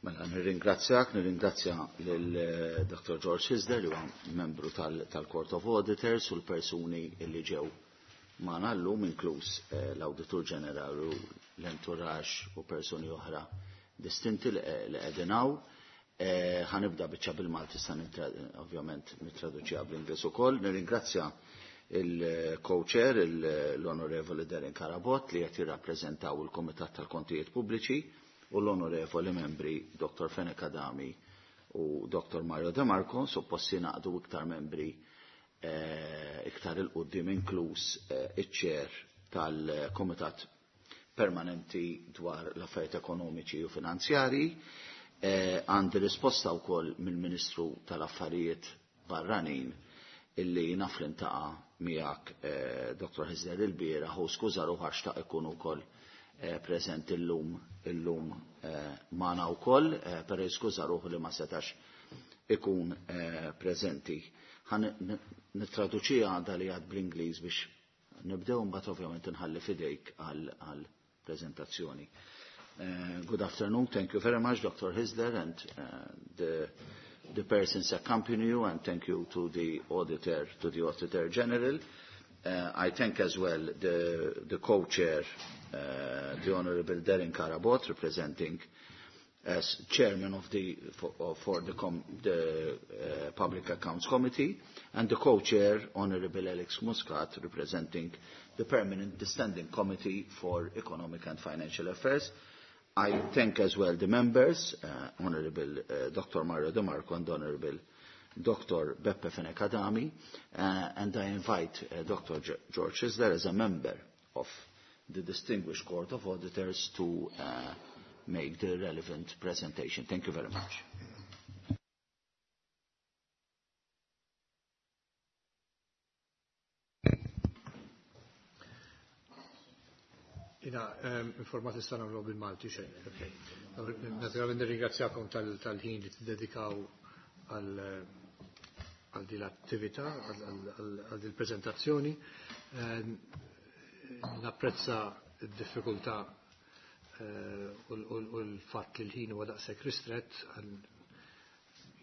Mela, nirringrazzjak, nirringrazzja lil Dr. George Hyzler li huwa membru tal-Court of Auditors u l-persuni li ġew magħna llum, inkluż l-Awditur Ġenerali u l-entourage u persuni oħra distinti li qegħdin hawn. Ħa nibda biċċa bil-Malti, sa ovvjament nittraduċiha bl-Ingliż ukoll. Nirringrazzja il-co-chair, l-Onorevoli Darren Carabott, li qed jirrappreżentaw il-Kumitat tal-Kontijiet Pubbliċi, u l-Onorevoli Membri Dr. Fenech Adami u Dr. Mario De Marco. Suppost jingħaqdu iktar membri iktar 'il quddiem, inkluż iċ-chair tal-Komitat Permanenti dwar l-Affarijiet Ekonomiċi u Finanzjarji. Għandi risposta wkoll mill-Ministru tal-Affarijiet Barranin, illi naf li ltaqa' miegħek, Dr. Hyzler, il-bieraħ u skuża ruħu għax xtaq ikun ukoll preżenti illum magħna wkoll, però skuża ruħu li ma setax ikun preżenti. Ħa nittraduċiha dak li għedt bl-Ingliż biex nibdew, mbagħad ovvjament inħalli fidejk għal prezentazzjoni. Good afternoon. Thank you very much, Dr. Hyzler, and the persons accompanying you, and thank you to the auditor, to the Auditor General. I thank as well the co-chair, the Honorable Darren Carabott, representing as chairman of the, for, for the, com, the Public Accounts Committee, and the co-chair, Honorable Alex Muscat, representing the Permanent the Standing Committee for Economic and Financial Affairs. I thank as well the members, Honorable Dr. Mario De Marco and Honorable Dr. Beppe Fenech Adami, and I invite Dr. George Hyzler as a member of the distinguished Court of Auditors to make the relevant presentation. Thank you very much. Jiena informat issa nagħmlu bil-Malti xejn. Naturalment nirringrazzjakom tal-ħin li tiddedikaw għal din l-attività, għal din il-prezentazzjoni. Napprezza d-diffikultà u l-fatt li l-ħin huwa daqshekk ristrett.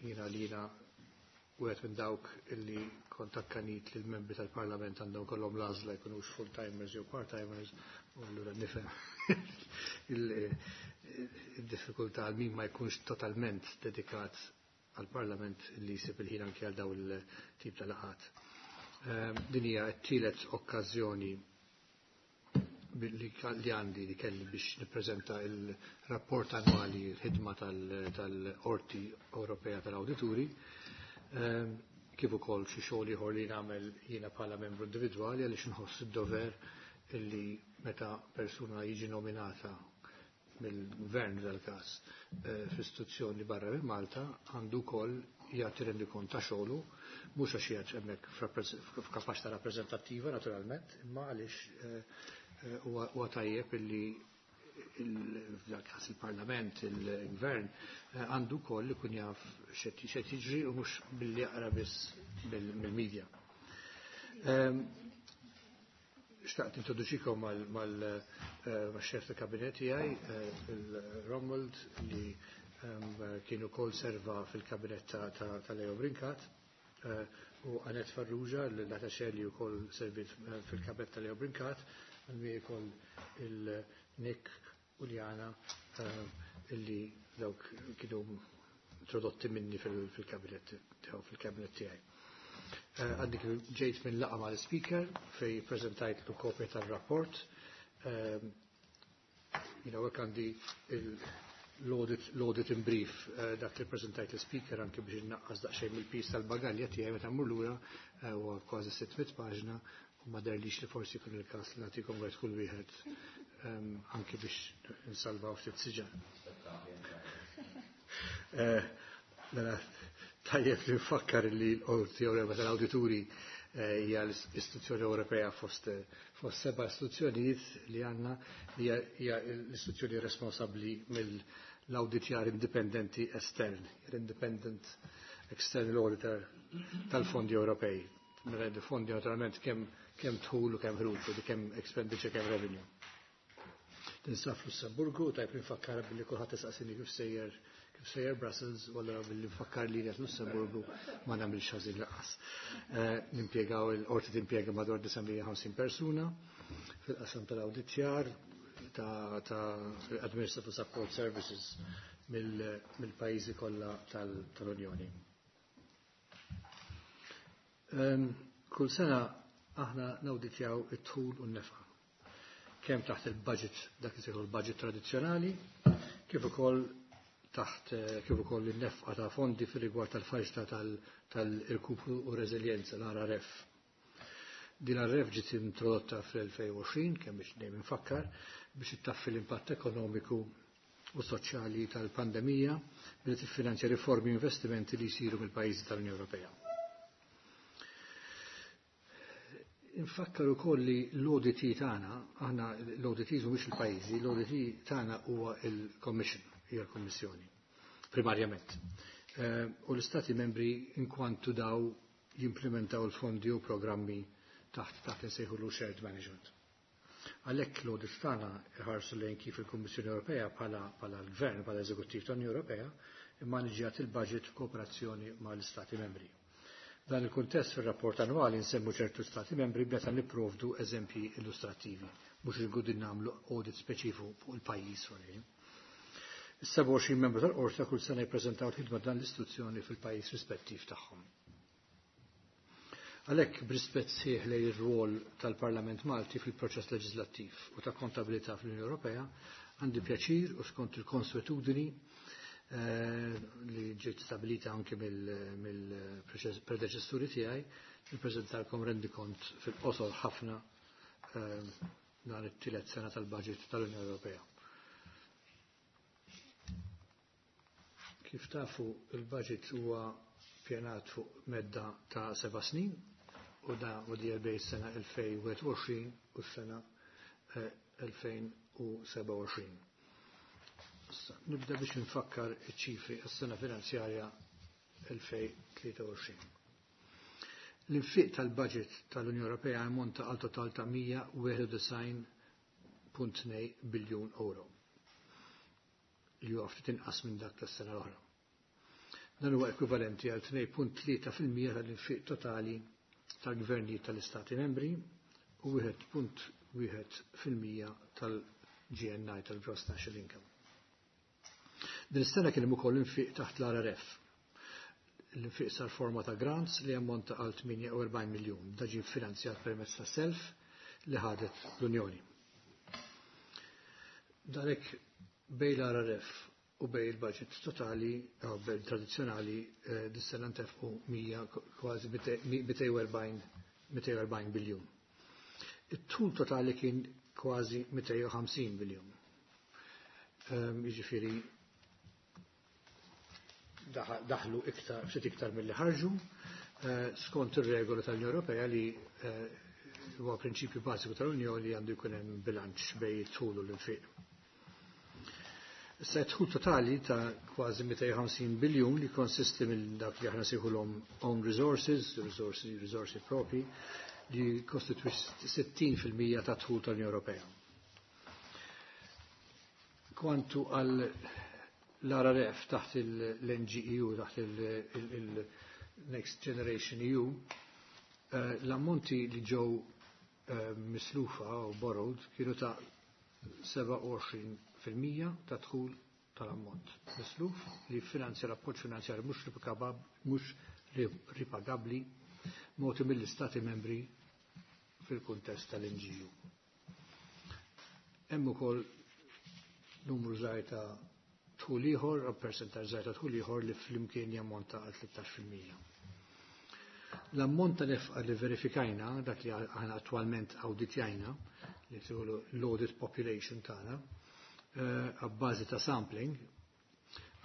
Jiena li jiena wieħed minn dawk illi kont akkanit li l-membri tal-Parlament għandhom kollhom l-għażla jkunux full-timers jew part-timers, u allura nifhem il-diffikultà għal min ma jkunx totalment dedikat għal-Parlament li jsib il-ħin anke għal daw il-tip ta' laqgħat. Din hija t-tielet okkażjoni li għandi li kelli biex nippreżenta il-rapport annwali, l-ħidma tal-Qorti Ewropea tal-Awdituri, kif ukoll xi xogħol ieħor li nagħmel jiena bħala membru individwali, għaliex inħoss id-dover illi meta persuna jiġi nominata mill-gvern dal-każ f'istituzzjoni barra minn Malta, għandu wkoll jagħti rendikont ta' xogħlu, mhux għax qiegħed hemmhekk f'kapaċità rappreżentattiva naturalment, imma għaliex huwa tajjeb illi f'dal-każ il-Parlament, il-Gvern, għandu wkoll ikun jaf x'qed jiġri u mhux billi jaqra biss mill-medja. Xtaqt nintroduċikom mal-xef ta' kabinet tiegħi, il-Romuald, li kien ukoll serva fil-kabinet ta' Leo Brincat, u Anet Farrugia, l-attaché li wkoll servit fil-kabinet ta' Leo Brincat, għalmi ukoll il-Nick u Liana, illi dawk kienu introdotti minni fil-kabinet tiegħu, fil-kabinet tiegħi. Għadni ġejt minn laqgħa mal-speaker fej prezentajt l kopja tal-rapport. Jiena għek għandi l-audit in brief, dak li prezentajt l-speaker, anke biex naqqas daqsxejn mill-piż tal-bagalja tiegħi meta mmur lura, huwa kważi 600 paġna u ma deherlix li forsi jkun il-każ li nagħtikom wieħed kull wieħed, anke biex nsalvaw ftit siġar. Mela, tajjeb li nfakkar li l-Qorti Ewropea tal-Awdituri hija l-istituzzjoni Ewropea fost seba' istituzzjonijiet li għandna li hija l-istituzzjoni responsabbli mill-awditjar indipendenti estern, l-Independent External Auditor tal-fondi Ewropej. Mela, fondi naturalment kemm dħul u kemm ħruġ, u kemm expenditure, kemm revenue. Tinsab f'Lussemburgu, tajb li nfakkar billi kulħadd isaqsini kif sejjer. kif sejjer Brussels, u allura billi nfakkar li qed Lussemburgu ma nagħmilx ħażin lanqas. Nimpjegaw il-qorti timpjega madwar 950 persuna fil-qasam tal-awditjar ta' Administrative Support Services mill-pajjiżi kollha tal-Unjoni. Kull sena aħna nawditjaw it-dħul u n-nefqa. Kemm taħt il-budget, dak li l-budget tradizzjonali, kif ukoll taħt kif ukoll in-nefqa ta' fondi fir-rigward tal-faċilità tal-irkupru u reżiljenza l-RRF. Din l-RRF ġiet introdotta fl-2020, kemm biex dejjem infakkar, biex ittaffi l-impatt ekonomiku u soċjali tal-pandemija billi tiffinanzja riformi u investimenti li jsiru mill-pajjiżi tal-Unjoni Ewropea. Infakkar ukoll li l-ODT tagħna, aħna l-ODT mhumiex il-pajjiżi, l-ODT tagħna huwa il-Commission, hija l-Kummissjoni, primarjament. U l-Istati membri inkwantu daw jimplementaw il-fondi u programmi taħt insejħulu shared management. Għalhekk l-audit tagħna iħarsu lejn kif il-Kummissjoni Ewropea bħala l-Gvern, bħala Eżekuttiv tal-Unjoni Ewropea, immaniġġjat il-budget f'kooperazzjoni mal-Istati membri. Dan il-kuntest fir-rapport annwali nsemmu ċertu stati membri meta nipprovdu eżempji illustrattivi, mhux il-gudin nagħmlu audit speċifiku fuq il-pajjiż fuq. Is-27 membru tal-qorti kull sena jippreżentaw il-ħidma dan l-istituzzjoni fil-pajjiż rispettiv tagħhom. Għalhekk b'rispett sħiħ lejn ir-rwol tal-Parlament Malti fil-proċess leġislattiv u ta' kontabilità fl-Unjoni Ewropea, għandi pjaċir u skont il-konswetudini li ġiet stabilita anke mill-predeċessuri tiegħi, nippreżentalkom rendikont fil-qosor ħafna dan it-tielet sena tal-budget tal-Unjoni Ewropea. Kif tafu, il-budget huwa pjanat fuq medda ta' 7 snin u da u di bej sena 2021 u s-sena 2027. Nibda biex nfakkar iċ-ċifri għas-sena finanzjarja 2023. L-infiq tal-budget tal-Unjoni Ewropea ammonta għal total ta' 191.2 biljun euro li huwa ftit inqas minn dak tas-sena l-oħra. Dan huwa ekwivalenti għal 2.3% tal-infiq totali tal-gvernijiet tal-Istati membri u 1.1% tal-GNI tal-Gross National Income. Din is-sena kien hemm ukoll infiq taħt l-RRF. L-infiq sar forma ta' grants li ammonta għal 48 miljun. Da ġie finanzjat permezz ta' self li ħadet l-Unjoni. Dalek bej l-RRF u bej il-budget totali, bej tradizzjonali, dis-sena ntefqu kważi 240 biljun. It-tul totali kien kważi 250 biljun. Jiġifieri daħlu iktar, ftit iktar milli ħarġu, skont ir-regola tal-Unjoni Ewropea li huwa prinċipju bażiku tal-Unjoni li għandu jkun hemm bilanċ bejn it-tul u l-infiq. Issa d-dħul totali ta' kważi 250 biljun li konsisti minn dak li aħna sejħulhom own resources, risorsi propri, li kostitwix 60% ta' dħul tal-Unjoni Ewropea. Kwantu għal l-RRF taħt l-NGEU, taħt il-Next Generation EU, l-ammonti li ġew mislufa u borrowed kienu ta' 27% ta' dħul tal-ammont misluf li finanzja l-appoġġ finanzjarju mhux ripagabbli mogħti mill-Istati membri fil-kuntest tal-NGU. Hemm ukoll numru żgħir ta' dħul ieħor, percentaġġ żgħir ta' dħul ieħor li flimkien jammonta għal 13%. L-ammont ta' nefqa li verifikajna, dak li aħna attwalment awditjajna, li tgħidu l-audit population tagħna, għabbażi ta' sampling,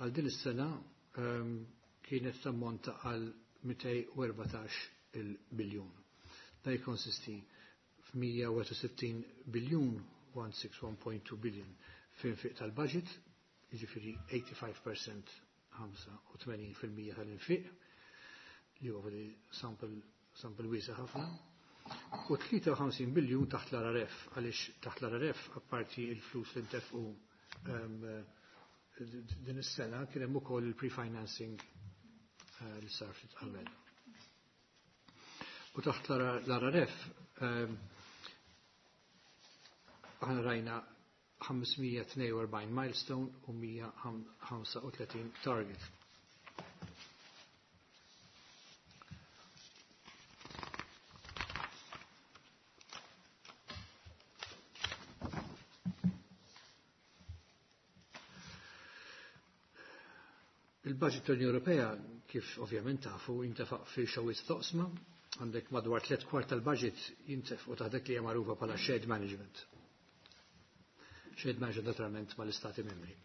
għal din is-sena kienet tammonta għal 214 il-biljun. Da jikkonsisti f'161 biljun, 161.2 billion f'infiq tal-budget, jiġifieri 85%, 85% tal-infiq, li huwa sample wiesa' ħafna, u 53 biljun taħt l-RRF, għaliex taħt l-RRF apparti il-flus li ntefqu din is-sena kien hemm ukoll il-pre-financing li sar ftit qabel. U taħt l-RRF aħna rajna 542 milestone u 135 target. Il-budget tal-Unjoni Ewropea, kif ovvjament tafu, jintefaq fi xewwiet toqsma, għandek madwar 3/4 tal-budget jintefqu taħt dak li hija magħrufa bħala shared management. Shared management naturalment mal-Istati membri.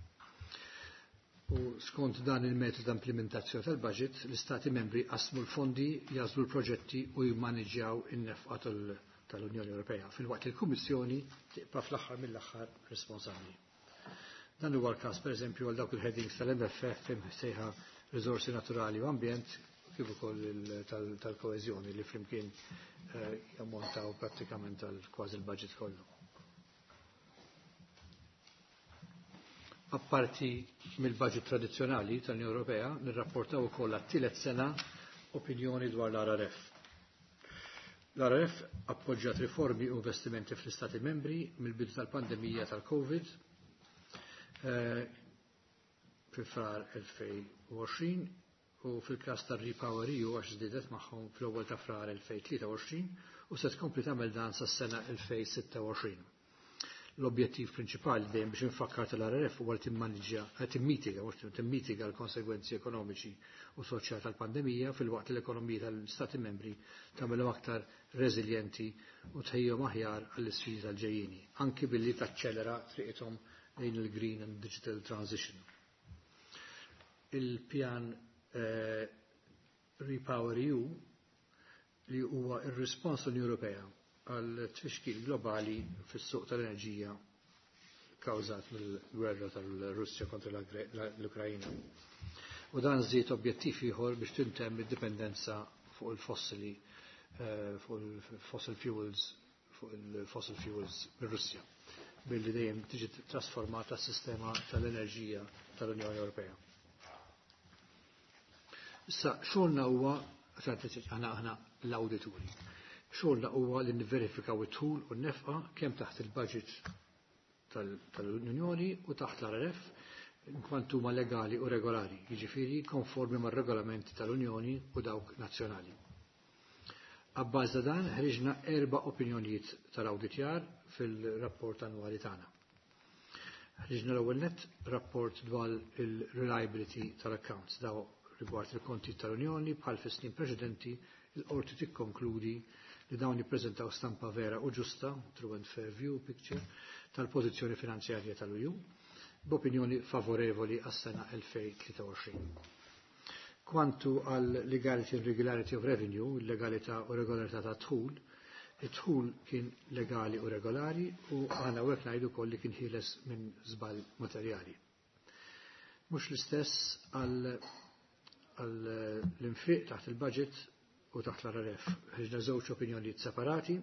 U skont dan il-metodu ta' implementazzjoni tal-budget, l-Istati membri qasmu l-fondi, jażlu l-proġetti u jimmaneġġjaw in-nefqa tal-Unjoni Ewropea, filwaqt li l-Kummissjoni tibqa' fl-aħħar mill-aħħar responsabbli. Dan huwa l-każ pereżempju għal dawk il-headings tal-MFF sejħa riżorsi naturali u ambjent, kif ukoll tal-koeżjoni li flimkien jammontaw prattikament għal kważi l-budget kollu. Apparti mill-budget tradizzjonali tal-Unjoni Ewropea, nirrapportaw ukoll għat-tielet sena opinjoni dwar l-RRF. L-RRF appoġġjat riformi u investimenti fl-Istati membri mill-bidu tal-pandemija tal-Covid fi frar 2020 u fil-każ tar-Repower EU għax żdiedet magħhom fl-ewwel ta' frar 2023 u se tkompli tagħmel dan sas-sena 2026. L-objettiv prinċipali dejjem biex infakkar tal-RRF huwa li timmaniġġja, timmitiga, mhux timmitiga l-konsegwenzi ekonomiċi u soċjali tal-pandemija filwaqt li l-ekonomija tal-Stati membri tagħmelhom aktar reżiljenti u tħejjhom aħjar għall-isfidi tal-ġejjieni, anki billi taċċelera triqithom lejn il-green and digital transition. Il-pjan Repower EU li huwa ir-rispons l-Unjoni Ewropea għal tfixkil globali fis-suq tal-enerġija kawżat mill-gwerra tal-Russja kontra l-Ukrajina. U dan żied objettiv ieħor biex tintemm id-dipendenza fuq il-fossili, fuq il-fossil fuels, fuq il-fossil fuels mir-Russja, billi dejjem tiġi trasformata s-sistema tal-enerġija tal-Unjoni Ewropea. Issa xogħolna huwa, aħna l-awdituri. Xogħolna huwa li nivverifikaw it-tul u n-nefqa kemm taħt il-budget tal-Unjoni u taħt l-RRF inkwantu huma legali u regolari, jiġifieri konformi mar-regolamenti tal-Unjoni u dawk nazzjonali. Abbażi ta' dan ħriġna 4 opinjonijiet tal-awditjar fil-rapport annwali tagħna. Ħriġna l-ewwel nett rapport dwar il-reliability tal-accounts daw rigward il-konti tal-Unjoni bħal fis-snin preċedenti il-qorti tikkonkludi li dawn jippreżentaw stampa vera u ġusta, true and fair view picture, tal-pożizzjoni finanzjarja tal-EU, b'opinjoni favorevoli għas-sena 2023. Kwantu għal legality and regularity of revenue, il-legalità u regolarità ta' dħul, id-dħul kien legali u regolari u għana u hekk ngħidu wkoll li kien ħieles minn żball materjali. Mhux l-istess għal l-infiq taħt il-budget u taħt l-RRF. Ħriġna żewġ opinjonijiet separati,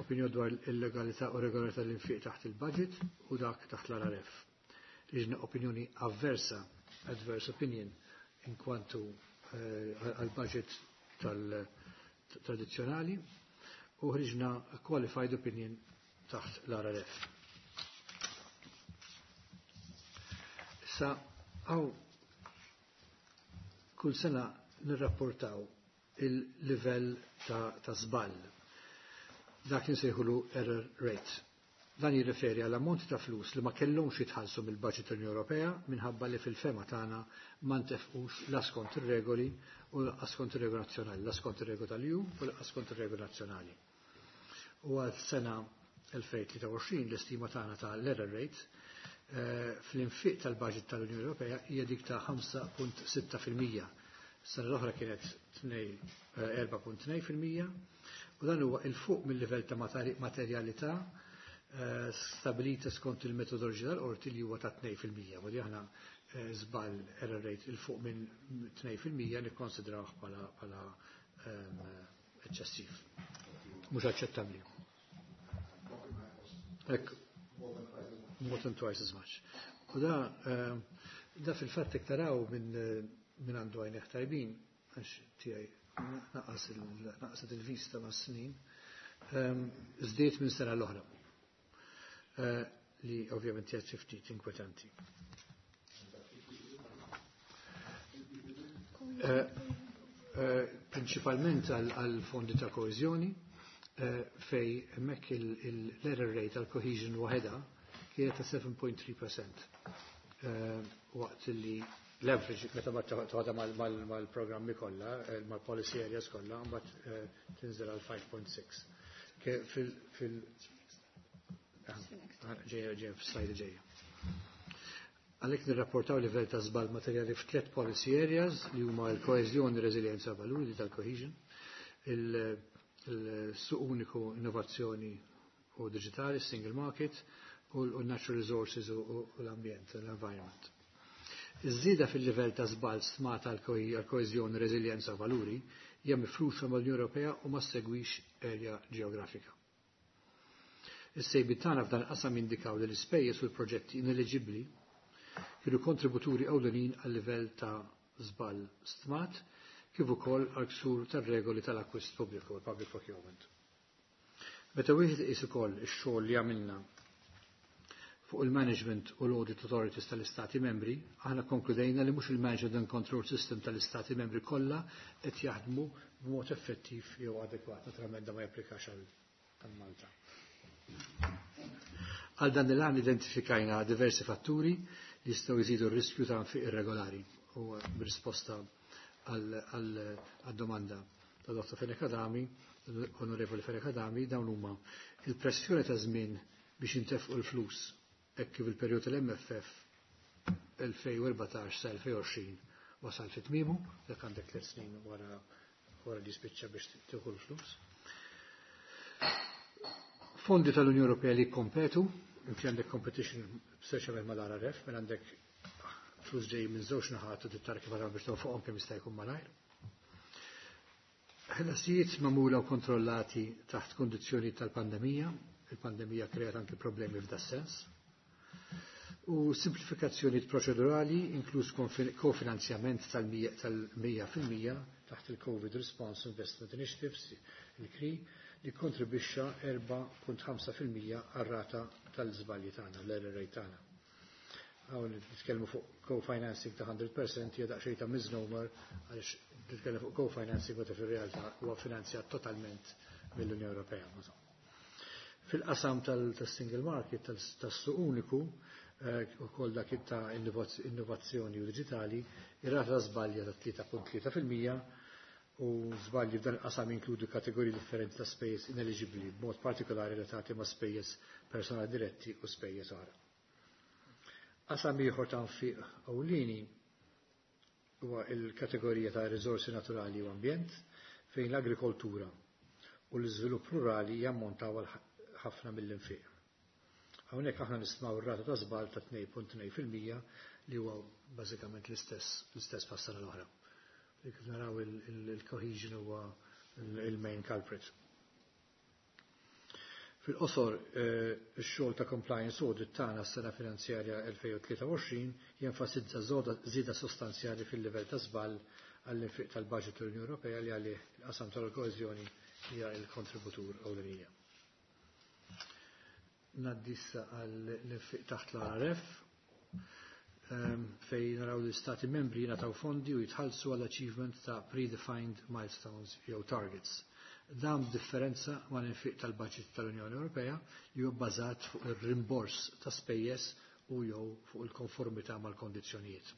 opinjoni dwar il-legalità u regolarità l-infiq taħt il-budget u dak taħt l-RRF. Ħriġna opinjoni avversa, adverse opinion, in kwantu għal-budget tal-tradizzjonali u ħriġna qualified opinion taħt l-RRF. Issa, għaw kull sena nirrapportaw il-livell ta' żball. Dak li nsejħulu error rate. Dan jirriferi għal ammonti ta' flus li ma kellhomx jitħallsu mill-budget tal-Unjoni Ewropea minħabba li fil-fema tagħna ma ntefqux la skont ir-regoli u la skont ir-regoli nazzjonali, la skont ir-regoli tal-EU u la skont ir-regoli nazzjonali. U għal sena 2023 l-istima tagħna ta' l-error rate fl-infiq tal-budget tal-Unjoni Ewropea hija dik ta' 5.6%. Sena l-oħra kienet 4.2% u dan huwa il fuq mill-livell ta' materjalità stabilita skont il-metodoloġija tal-qorti li huwa ta' 2%. Wadi aħna żball error rate il fuq minn 2% nikkonsidrawh bħala eċċessiv. Mhux aċċettabbli. Hekk, more than twice as much. U da fil-fatt taraw minn għandu għajnejh tajbin, għax tiegħi naqset il-vista ma' snin, żdied minn sena l-oħra. Li ovvjament hija xi ftit inkwetanti. Prinċipalment għal fondi ta' koeżjoni, fej hemmhekk l-error rate għal cohesion waħedha kienet ta' 7.3%. Waqt li l-average meta toħodha mal-programmi kollha, mal-policy areas kollha, mbagħad tinżel għal 5.6. Fil ġejja ġejja f'slajda ġejja. Għalhekk nirrapportaw livell ta' żball materjali f'tliet policy areas li huma l-koeżjoni, reżiljenza, valuri tal-cohesion, il-suq uniku, innovazzjoni u digitali, single market, u l-natural resources u l-ambjent, l-environment. Iż-żieda fil-livell ta' żball stmata għal koeżjoni, reżiljenza, valuri hija mifruxa mal-Unjoni Ewropea u ma segwix area ġeografika. Is-sejbiet tagħna f'dan qasam indikaw li l-ispejjeż u l-proġetti ineliġibbli kienu kontributuri ewlenin għal livell ta' żball stmat kif ukoll għal ksur tar-regoli tal-akkwist pubbliku, il-public procurement. Meta wieħed iqis ukoll ix-xogħol li għamilna fuq il-management u l-audit authorities tal-Istati membri, aħna konkludejna li mhux il-management and control system tal-Istati membri kollha qed jaħdmu b'mod effettiv jew adekwat. Naturalment da ma japplikax għal Malta. Għal dan il-għan identifikajna diversi fatturi li jistgħu jżidu r-riskju ta' nfiq irregolari u b'risposta għal domanda ta' Dr. Fenech Adami, Onorevoli Fenech Adami, dawn huma il-pressjoni ta' żmien biex intefqu l-flus hekk kif il-perjodu tal-MFF 2014 sa 2020 wasal fit tmiemu, dak għandek 3 snin wara li spiċċa biex tieħu l-flus. Fondi tal-Unjoni Ewropea li kompetu, inti għandek competition speċjalment mal-RRF, mela għandek flus ġej minn żewġ naħat u tittar kif biex fuqhom kemm jista' jkun malajr. Ħlasijiet magħmula u kontrollati taħt kondizzjoni tal-pandemija, il-pandemija kreat anke problemi f'da sens. U simplifikazzjoni proċedurali, inkluż kofinanzjament tal-100% taħt il-Covid Response Investment Initiatives, il-CRI, li kontribwixxa 4.5% għar-rata tal-żbalji tagħna, l-error rate tagħna. Hawn nitkellmu fuq co-financing ta' 100% hija daqsxejn ta' misnomer għaliex nitkellmu fuq co-financing meta fir-realtà huwa finanzjat totalment mill-Unjoni Ewropea. Fil-qasam tal-single market, tas-suq uniku, ukoll dak ta' innovazzjoni u digitali, ir-rata żbalja ta' 3.3% u żbalji f'dan il-qasam inkludu kategoriji differenti ta' spejjeż ineligibbli, b'mod partikolari relatati ma' spejjeż personali diretti u spejjeż oħra. Qasam ieħor ta' nfiq ewlieni huwa il-kategorija ta' riżorsi naturali u ambjent fejn l-agrikoltura u l-iżvilupp rurali jammontaw għal ħafna mill-infiq. Hawnhekk aħna nistmaw ir-rata ta' żball ta' 2.2% li huwa bażikament l-istess bħas-sena l-oħra. Kif naraw il-cohesion huwa il-main culprit. Fil-qosor, ix-xogħol ta' compliance audit tagħna s-sena finanzjarja 2023 jenfasizza żieda sostanzjali fil-livell ta' żball għall-infiq tal-budget tal-Unjoni Ewropea li għalih il-qasam tal-koeżjoni hija il-kontributur ewlenija. Ngħaddi issa għall-infiq taħt l-RRF fej naraw li stati membri jingħataw fondi u jitħallsu għall achievement ta' predefined milestones jew targets. Dan differenza ma' l-infiq tal-budget tal-Unjoni Ewropea li huwa bbażat fuq ir-rimbors ta' spejjeż u jew fuq il-konformità mal-kondizzjonijiet.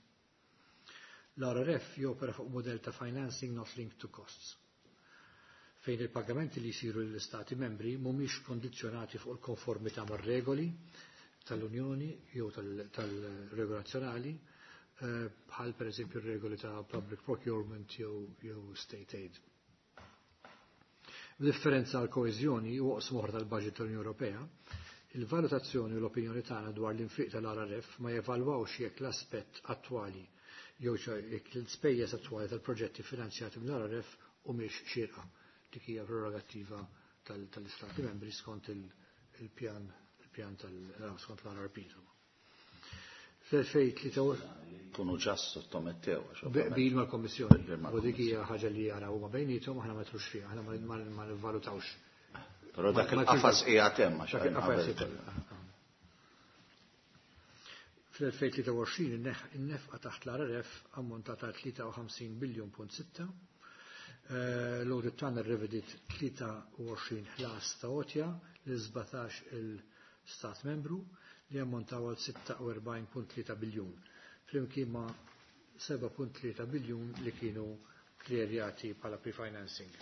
L-RRF jopera fuq modell ta' financing not linked to costs fejn il-pagamenti li jisiru l-Istati membri mhumiex kondizzjonati fuq il-konformità mar-regoli tal-Unjoni jew tal-regoli nazzjonali, bħal per eżempju regoli ta' public procurement jew state aid. B'differenza għal koeżjoni u oqsma oħra tal-budget tal-Unjoni Ewropea, il-valutazzjoni u l-opinjoni tagħna dwar l-infiq tal-RRF ma jevalwawx jekk l-aspett attwali jew jekk l-ispejjeż attwali tal-proġetti finanzjati mill-RRF humiex xierqa. Dik hija prerogattiva tal-Istati membri skont il-pjan il-pjan tal skont l-RRP. Fl-2023 Kunu ġa sottomettew. Bil mal-Kommissjoni. U dik hija ħaġa li jaraw huma bejniethom, aħna ma trux fiha, aħna ma nivvalutawx. Però dak il-qafas qiegħed hemm għax Dak il-qafas Fl-2023 in-nefqa taħt l-RRF ammontat għal 53 biljun punt 6. L-audit tagħna rrevedit 23 ħlas ta' għotja lil 17 il-Stat membru li ammontaw għal 46.3 biljun, flimkien ma' 7.3 biljun li kienu kljerjati bħala pre-financing.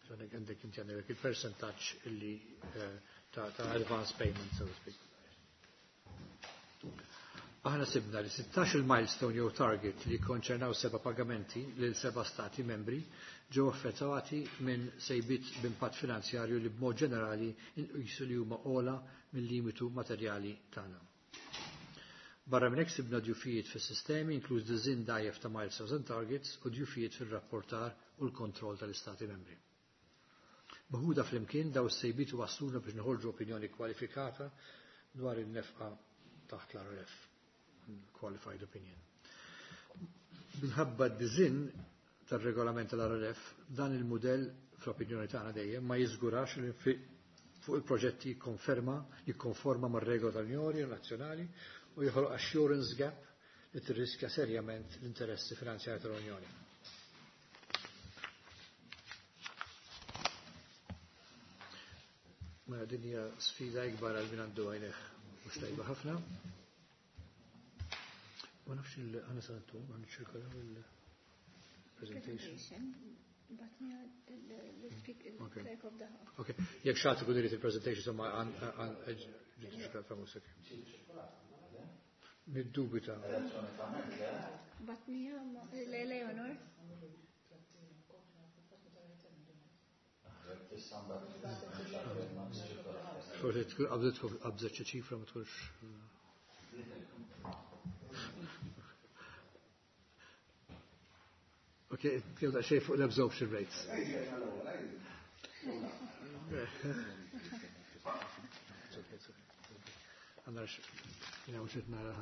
So għandek inti għandek il-percentaġġ illi ta' advance payment, so to speak. Aħna sibna li 16 il-milestone jew target li konċernaw seba pagamenti lil seba stati membri ġew effettwati minn sejbiet b'impatt finanzjarju li b'mod ġenerali inqisu li huma ogħla mill-limitu materjali tagħna. Barra minn hekk sibna djufijiet fis-sistemi, inkluż disinn dgħajjef ta' milestones and targets u djufijiet fir-rapportar u l-kontroll tal-istati membri. Meħuda flimkien, daw is-sejbiet wasluna biex noħorġu opinjoni kwalifikata dwar in-nefqa taħt l-RRF, qualified opinion. Minħabba d-disinn tal-regolament tal-RRF, dan il-modell fl-opinjoni tagħna dejjem ma jiżgurax li fuq il-proġetti jikkonforma mar-regola tal-Unjoni nazzjonali u joħloq assurance gap li tirriskja serjament l-interessi finanzjari tal-Unjoni. Mela din hija sfida ikbar għal min għandu għajneh mhux tajba ħafna. Ma nafx il-għana santu, għan ċirkolaw il-presentation. Ok, jekk xi ħadd ikun irid il-presentation, insomma, għan ġiet. Niddubita. Batnija Leonor. Forsi tkun qabżitkom qabżet xi ċifra ma tkunx. Ok, tkellem daqsxejn fuq l-absorption rates. Għandna jina mhux qed nara.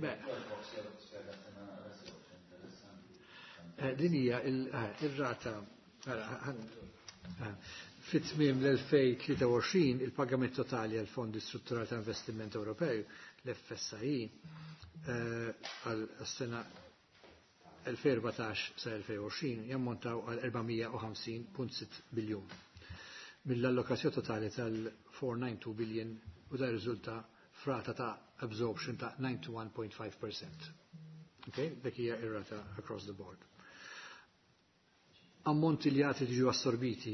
Beh. Din hija ir-rata fit-tmiem l-2023, il-pagament totali għal fondi strutturali ta' investiment Ewropew, l-FSI, għal sena 2014 sa 2020 jammontaw għal 450.6 biljun. Mill-allokazzjoni totali tal-492 billion, u da riżulta f'rata ta' absorption ta' 91.5%. Okay? Dik hija ir-rata across the board. Ammonti li għad jiġu assorbiti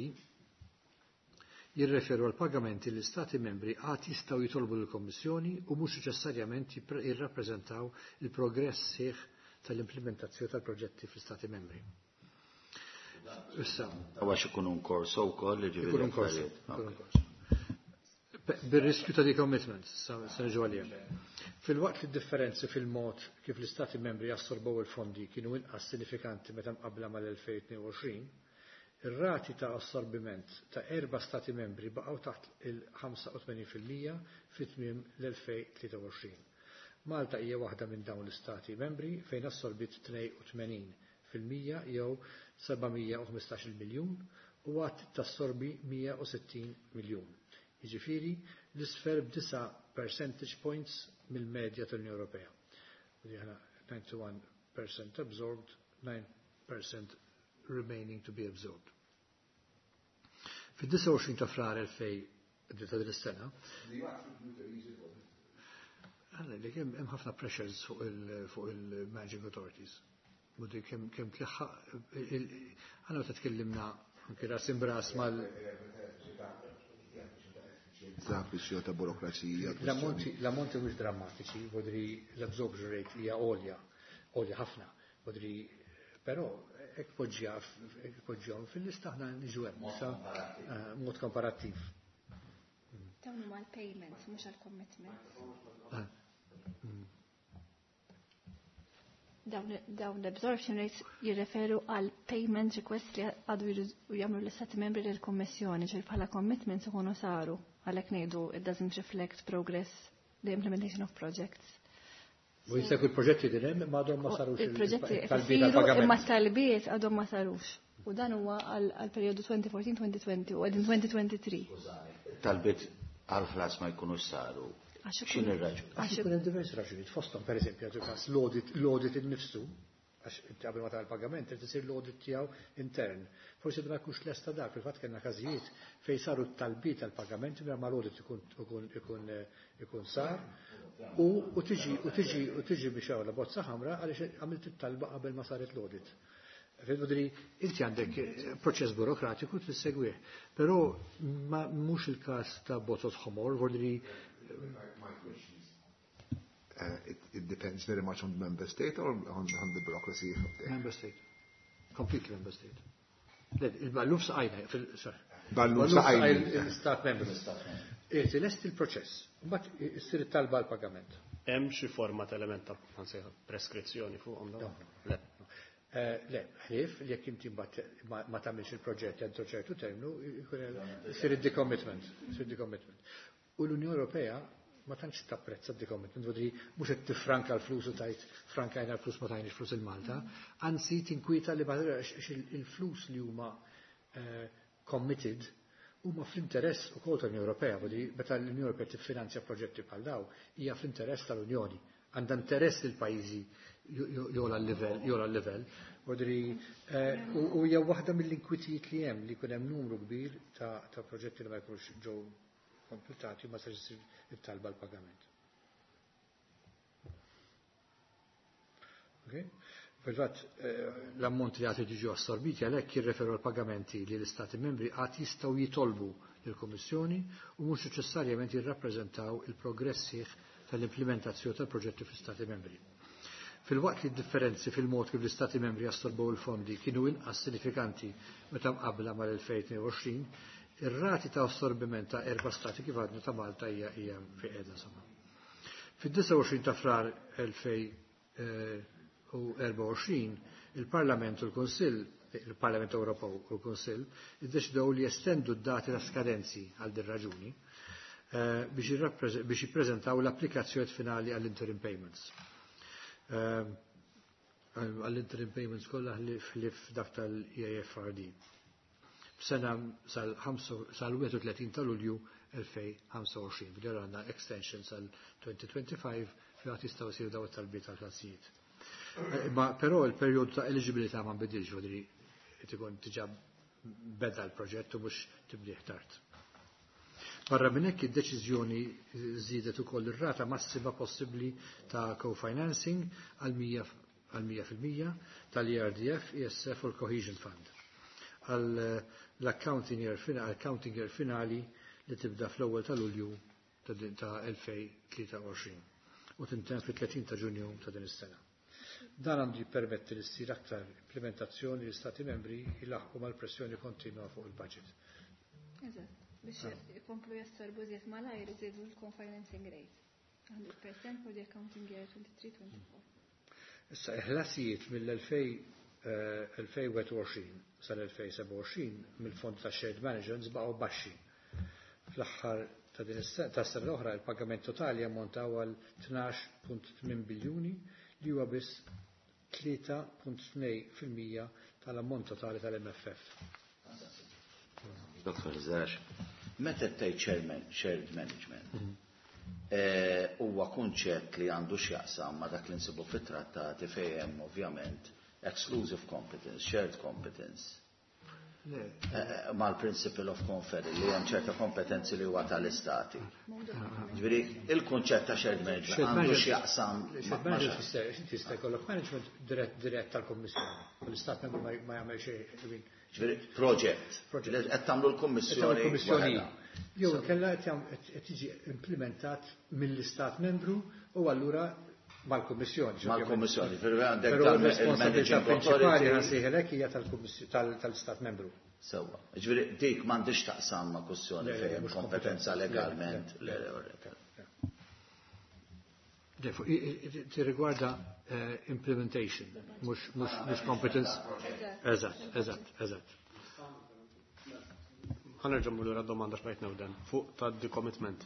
jirreferu għal pagamenti li stati membri għad jistgħu jitolbu l-Kommissjoni u mhux neċessarjament jirrappreżentaw il-progress sħiħ tal-implementazzjoni tal-proġetti fl-Stati membri. Issa. Għax ikun in corso wkoll, ġifieri Ikun in corso. Ikun in corso. Bir-riskju ta' decommitment, sa niġu għalija. Filwaqt li differenzi fil-mod kif l-Istati membri jassorbow il-fondi kienu inqas sinifikanti meta mqabbla mal-2022, ir-rati ta' assorbiment ta' erba' stati membri baqgħu taħt il-85% fit-tmiem l-2023. Malta hija waħda minn dawn l-istati membri fejn assorbit 82% jew 715 miljun u għad tassorbi 160 miljun. Jiġifieri l-isfel b'9 percentage points mill-medja tal-Unjoni Ewropea. U aħna 91% absorbed, 9% remaining to be absorbed. Fid-29 ta' Frar 2000 ta' din is-sena, għalla li hemm ħafna pressures fuq il-managing authorities. Mudi kemm tliħħaq, għanna meta tkellimna anke ras imbras mal Ta' kwistjoni ta' burokrazija. L-ammonti mhux drammatiċi, vodri l-absorption rate hija għolja, għolja ħafna, vodri, però hekk poġġihom fil-lista aħna niġu hemm, mod komparattiv. Dawn huma l-payments, mhux għall-commitments. Dawn l-absorption rates jirreferu għal payment request li għadu jagħmlu l-istati membri lill-Kummissjoni, ġifieri bħala commitments ikunu saru, għalhekk ngħidu it doesn't reflect progress. the implementation of projects. U jista' jkun proġetti din hemm imma għadhom ma sarux Il-proġetti il-talbiet isiru għall-pagament. imma t-talbiet għadhom ma sarux. U dan huwa għal perjodu 2014-2020 u qegħdin 2023. Talbiet għal-ħlas ma jkunux saru. Għax ikun- X'inhi r-raġuni? Għax ikun hemm diversi raġunijiet fosthom pereżempju għadu każ l-audit innifsu għax inti qabel ma tagħmel pagament irid isir l-audit tiegħu intern. Forsi ma jkunx lesta dak, fil-fatt kellna każijiet fejn saru t-talbiet tal-pagamenti mingħajr ma l-audit ikun sar u tiġi u tiġi u tiġi biex hawn la bozza ħamra għaliex għamilt it-talba qabel ma saret l-audit. Fil-vodri, inti għandek proċess burokratiku tissegwih, però ma mhux il-każ ta' bozzot ħomor, vordri It depends very much on the member state or on the bureaucracy of the Member state. Completely member state. Le, il-balluf saqajna, sorry. Balluf saqajna. Il-stat member. Irti lest il-proċess, mbagħad issir it-talba għall-pagament. Hemm xi forma ta' element ta' ħansejħa preskrizzjoni fuqhom dawn? Le. Le, ħlief li jekk inti mbagħad ma tagħmilx il-proġett entro ċertu terminu, jkun hemm isir id-decommitment, isir decommitment. U l-Unjoni Ewropea ma tantx tapprezza d-decommitment, vuol dire mhux qed tifranka l-flus u tajt frankajna l-flus ma tajniex flus il-Malta, anzi tinkwita li għax il-flus li huma committed huma fl-interess ukoll tal-Unjoni Ewropea, vuol dire meta l-Unjoni Ewropea tiffinanzja proġetti bħal daw, hija fl-interess tal-Unjoni, għandha interess li l-pajjiżi jola l-livell, jola l-livell. Vuol dire u hija waħda mill-inkwitijiet li hemm li jkun hemm numru kbir ta' proġetti li ma jkunux ġew kompletati ma sarx isir it-talba l-pagament. Okay? Fil-fatt l-ammont li għad jiġu assorbiti għalhekk jirreferu għal pagamenti li l-Istati membri għad jistgħu jitolbu lill-Kummissjoni u mhux neċessarjament jirrappreżentaw il-progress sħiħ tal-implementazzjoni tal-proġetti fl-Istati membri. Fil-waqt li d-differenzi fil-mod kif l-Istati membri assorbow il-fondi kienu inqas sinifikanti meta mqabbla mal-2022, ir-rati ta' assorbiment ta' erba' stati kif għadna ta' Malta hija fi qiegħda insomma. Fid-29 ta' Frar elfej u erba' u għoxrin, il-Parlament u l-Kunsill, il-Parlament Ewropew u l-Kunsill, iddeċidew li jestendu d-dati ta' skadenzi għal din raġuni biex jippreżentaw l-applikazzjoni finali għall-interim payments. Għall-interim payments kollha ħlief dak tal-EAFRD. B'sena sal-31 ta' Lulju 2025, b'din għandna extension sal-2025 fejn għad jistgħu jsiru daw it-talbiet tal-ħlasijiet. Ma però il-perjodu ta' eligibilità ma nbidilx, vuol dire qed ikun diġà beda l-proġett u mhux tibdih tard. Barra minn hekk id-deċiżjoni żiedet ukoll ir-rata massima possibbli ta' co-financing għal mija fil-mija tal-ERDF, ESF u l-Cohesion Fund. Għal l-accounting year accounting year finali li tibda fl-ewwel ta' Lulju ta' 2023 u tintemm fit-30 ta' Ġunju ta' din is-sena. Dan għandu jippermetti li ssir aktar implementazzjoni li stati membri jilaħqu mal-pressjoni kontinwa fuq il-budget. Eżatt, biex ikomplu jassorbu żjed malajr iżidu l-co-financing rate. 100% for the accounting year 23-24. Issa, il-ħlasijiet mill-elfej elfej wieħed u għoxrin sal-elfej seba' u għoxrin mill-fond ta' shared management baqgħu baxxi. Fl-aħħar ta' din ta' sena l-oħra il-pagament totali ammontaw għal 12.8 biljuni li huwa biss tlieta punt tnejn fil-mija tal-ammont totali tal-MFF. Dottor Zarax, meta tgħid shared management, huwa kunċett li għandu x'jaqsam ma' dak li nsibu fit-trattati fejn hemm ovvjament exclusive competence, shared competence. Le. Mal-principle of conference li hemm ċerta kompetenzi li huwa tal-istati. Ġifieri, il-kunċett ta' shared management Shared għandu management. x'jaqsam Shared ma' management xi- tista' inti tista' jkollok management dirett tal-Kommissjoni. U l-istat membru ma jagħmel xejn, I mean, Ġifieri, project. Project. Li qed tagħmlu l-Kummissjoni Qed tagħmlu l-Kummissjoni. waħedha. Jew inkella qed jiġi implementat mill-istat membru u allura mal-Kummissjoni. Mal-Kummissjoni, fil-verità għandek Però dan l-responsabilità il-managing prinċipali authority. ħansejħelek hija tal-istat membru. Sewwa. Ġifieri dik m'għandix taqsam ma' kwestjoni Le, le, fejn mhux kompetenza kompetenza. Le, legalment. le, Le, le, le. Le, fuq, ti rigwarda implementation, mhux competence. Eżatt, eżatt, eżatt. Ħa nerġa' mmur lura domanda x'bajt newden fuq ta' decommitment.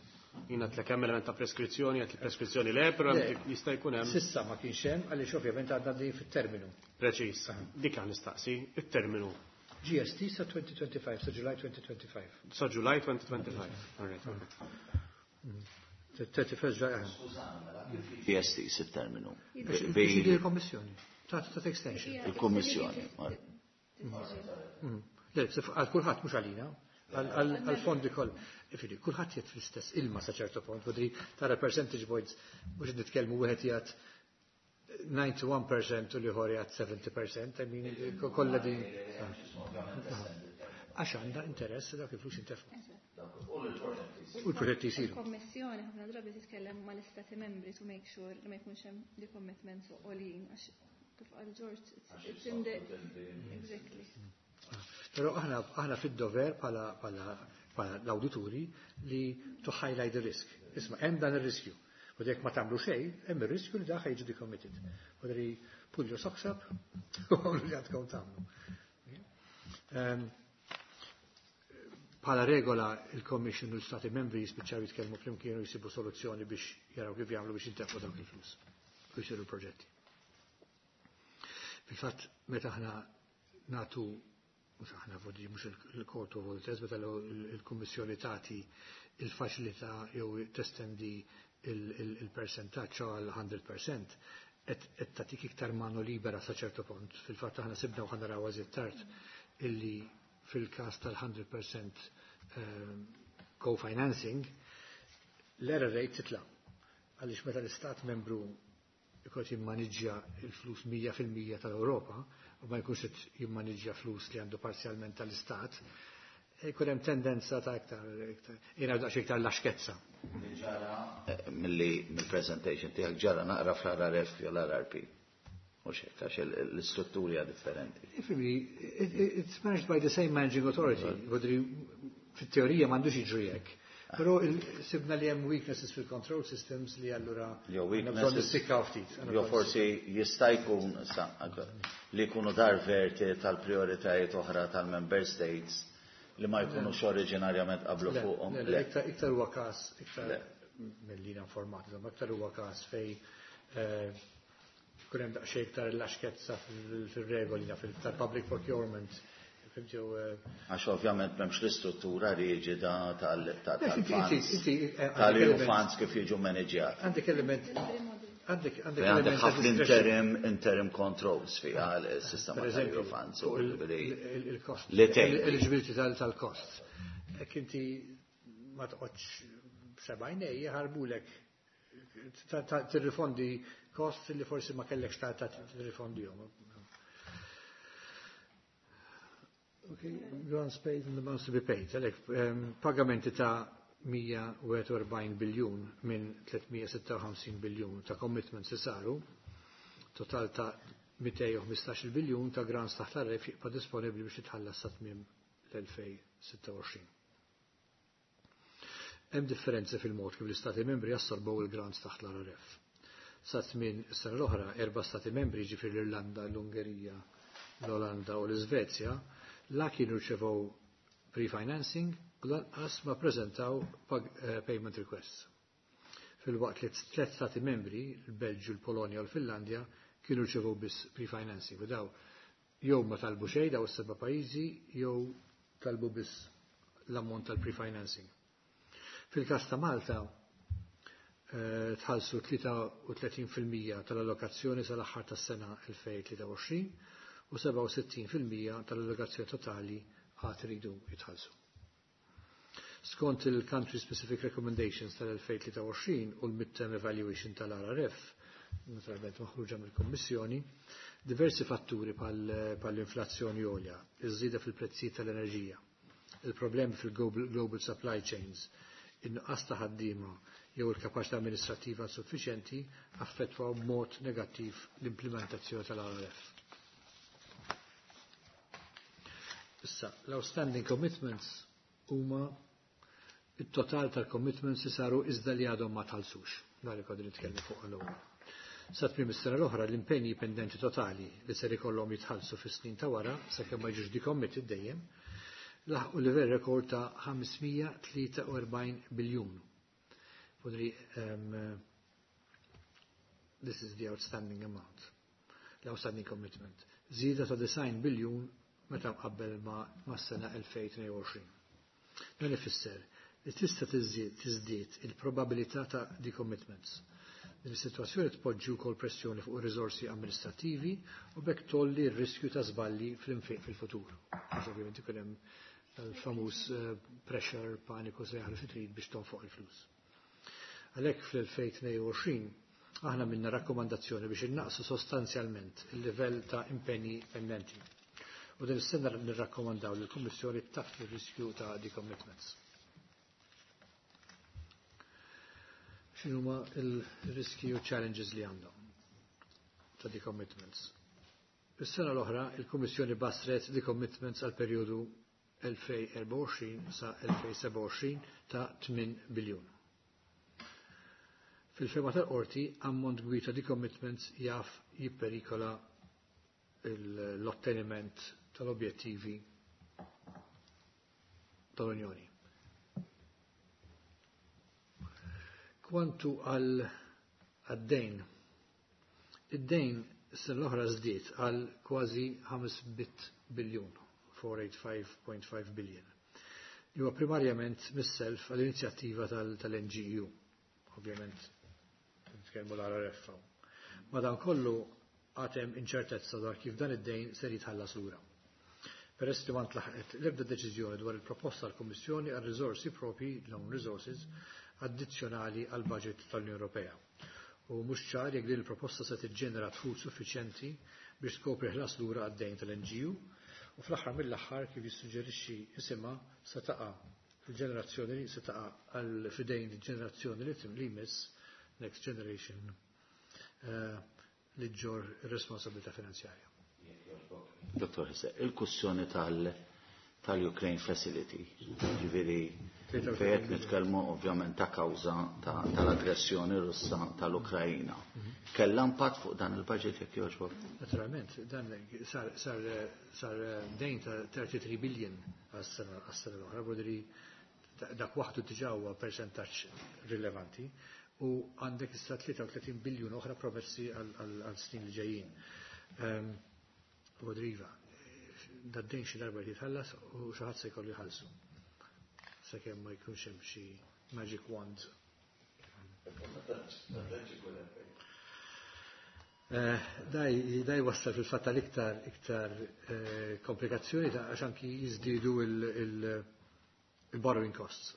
Jiena tlek hemm element ta' preskrizzjoni, għedt li preskrizzjoni le, però jista' jkun hemm. S'issa ma kienx hemm għaliex ovvjament għadna din fit-terminu. Preċiż. Dik għan nistaqsi, it-terminu. GST sa 2025, sa July 2025. Sa July 2025. All right. 31 July. GST sit-terminu. Biex il-Kommissjoni. Ta' extension. Il-Kommissjoni. Le, għal kulħadd mhux għalina, għal-fondi koll. Ifiri, kulħadd jgħid fl-istess ilma sa ċertu punt, vodri tara percentage points mhux nitkellmu wieħed jgħid 91% u l-ieħor jgħid 70%, I mean, kollha din. Għax għandha interess dak il-flus intefqu. U l-proġetti jsiru. Il-Kommissjoni ħafna drabi titkellem mal-Istati membri to make sure li ma jkunx hemm decommitments għoljin għax kif qal George, it's in the exactly. Però aħna fid-dover bħala l-awdituri li to highlight the risk. Isma' hemm dan ir-riskju. U jekk ma tagħmlu xejn, hemm ir-riskju li dak jiġi decommitted. U dri pull your socks up u għamlu li għandkom tagħmlu. Bħala regola il-Commission u l-Stati membri jispiċċaw jitkellmu flimkien u jsibu soluzzjoni biex jaraw kif jagħmlu biex jintefqu dawk il-flus u jsiru l-proġetti. Fil-fatt, meta aħna natu, mhux aħna vodi, mhux il-Court of Auditors, meta il-Kummissjoni tagħti il-faċilità jew testendi il-percentaġġ għal 100%, qed tagħtik iktar mano libera sa ċertu punt. Fil-fatt aħna sibna u ħa naraw tard illi fil-każ tal-100% co-financing, l-error rate titla'. Għaliex meta l-istat membru jkun jimmaniġġja il-flus 100% tal-Ewropa u ma jkunx qed jimmaniġġja flus li għandu parzjalment tal-istat, jkun hemm tendenza ta' iktar jiena daqsxejn iktar laxkezza. Ġara milli mill-presentation tiegħek ġara naqra fl-RRF jew l-RRP. Mhux hekk għax l-istrutturi hija differenti. Ifhimni, it's managed by the same managing authority. Vodri, fit-teorija m'għandux jiġri hekk. Però sibna li hemm weaknesses fil-control systems li allura Jew għandna bżonn weaknesses nissikkaw ftit. Għandna Jew bżonn forsi jista' jkun li jkunu diverti tal-prioritajiet oħra tal-member states li ma jkunux oriġinarjament qablu Le, fuqhom. le, le, iktar huwa każ, iktar Le. mill-li informat, insomma, iktar huwa każ fej kun hemm daqsxejn iktar laxkezza fil-regoli tal-public procurement. Fhimt jew, Għax ovvjament m'hemmx l-istruttura riġida Le, tal-funds. inti, Tal-EU għandek element- funds kif jiġu maniġjati. Għandek element, għandek Fejn għandek element ta' ħafna discretion. interim controls fiha l-sistema Per tal-EU eżempju, funds u fuq il-cost, li tgħin. eligibility tal-cost. Jekk inti ma toqgħodx sebgħajnej jħarbulek tirrifondi cost li forsi ma kellekx ta' tirrifondihom. Okay, grants paid and amounts to be paid. Għalhekk, pagamenti ta' 141 biljun minn 356 biljun ta' commitments li saru, total ta' 215 biljun ta' grants taħt l-RRF jibqa' disponibli biex jitħallas sa tmiem l-2026. Hemm differenzi fil-mod kif l-Istati membri jassorbow il-grants taħt l-RRF. Sa tmiem is-sena l-oħra, erba' stati membri, ġifieri l-Irlanda, l-Ungerija, l-Olanda u l-Iżvezja, la kienu rċevew pre-financing u lanqas ma preżentaw payment requests. Fil-waqt li tliet stati membri, il-Belġju, l-Polonja u l-Finlandja, kienu rċevew biss pre-financing. U daw jew ma talbu xejn daw is-seba' pajjiżi jew talbu biss l-ammont tal-pre-financing. Fil-każ ta' Malta, tħallsu 33% tal-allokazzjoni sal-aħħar tas-sena 2023 u 67% tal-allokazzjoni totali għad iridu jitħallsu. Skont il-Country Specific Recommendations tal-2023 u l-Midterm Evaluation tal-RRF, naturalment maħruġa mill-Kommissjoni, diversi fatturi bħall-inflazzjoni għolja, iż-żieda fil-prezzijiet tal-enerġija, il-problemi fil-global global supply chains, in-nuqqas ta' ħaddiema jew il-kapaċità amministrattiva insuffiċjenti affettwaw b'mod negattiv l-implementazzjoni tal-RRF. Issa, l-outstanding commitments huma it-total tal-commitments li saru iżda li għadhom ma tħallsux. Dan li konna nitkellmu fuq għal-ewwel. Sa tmiem is-sena l-oħra l-impenji pendenti totali li ser ikollhom jitħallsu fis-snin ta' wara sakemm ma jiġux decommitted dejjem laħqu livell rekord ta' 543 biljun. Podri, this is the outstanding amount, l-outstanding commitment. Żieda ta' 9 biljun meta mqabbel ma' s-sena 2022. Dan ifisser li tista' tiżdied il-probabilità ta' decommitments. Din is-sitwazzjoni tpoġġi wkoll pressjoni fuq ir-riżorsi amministrattivi u b'hekk tolli r-riskju ta' żballi fl-infiq fil-futur. Għax ovvjament ikun hemm l-famuż pressure, paniku sejjaħlu xi trid biex tonfoq il-flus. Għalhekk fl-2022 aħna minna rakkomandazzjoni biex innaqsu sostanzjalment il-livell ta' impenji pendenti. U din is-sena nirrakkomandaw li l-Kummissjoni taffi r-riskju ta' decommitments. X'inhuma l-riski u challenges li għandhom ta' decommitments? Is-sena l-oħra il-Kummissjoni basret decommitments għal perjodu 2024 sa 2027 ta' 8 biljun. Fil-fema tal-qorti, ammont kbir ta' decommitments jaf jipperikola l-otteniment tal-objettivi tal-Unjoni. Kwantu għal għad-dejn, id-dejn s-sena l-oħra żdied għal kważi 5 biljun, 485.5 billion. Li huwa primarjament mis-self għall-inizjattiva tal-NGU, ovvjament nitkellmu l-RRF. Madankollu għatem inċertezza dwar kif dan id-dejn ser jitħallas lura. Peress li ma ntlaħqet l-ebda deċiżjoni dwar il-proposta tal-Kummissjoni għal riżorsi propri, l-own resources, addizzjonali għal budget tal-Unjoni Ewropea. U mhux ċar jekk din il-proposta se tiġġenera dħul suffiċjenti biex tkopri ħlas lura għad-dejn tal-NGU u fl-aħħar mill-aħħar kif jissuġġerixxi isimha se taqa' fil-ġenerazzjoni li se taqa' għal fidejn il-ġenerazzjoni li li jmiss Next Generation li ġġorr ir-responsabilità finanzjarja. Dottor Hisse, il-kussjoni tal-Ukraine Facility, ġifieri fejn nitkellmu ovvjament ta' kawża tal-aggressjoni Russa tal-Ukrajina. Kellha impatt fuq dan il-budget jekk jogħġbok? Naturalment, dan sar dejn ta' 33 billion għas-sena l-oħra, bodri dak waħdu diġà huwa percentaġġ rilevanti u għandek issa 33 biljun oħra promessi għal snin li ġejjin. Rodriva, dad-dejn xi darba jitħallas u xi ħadd se jkollu jħallsu. Sakemm ma jkunx hemm xi magic wand. Daj wassal fil-fatt tal-iktar iktar komplikazzjoni ta' għax anki jiżdiedu il-borrowing costs.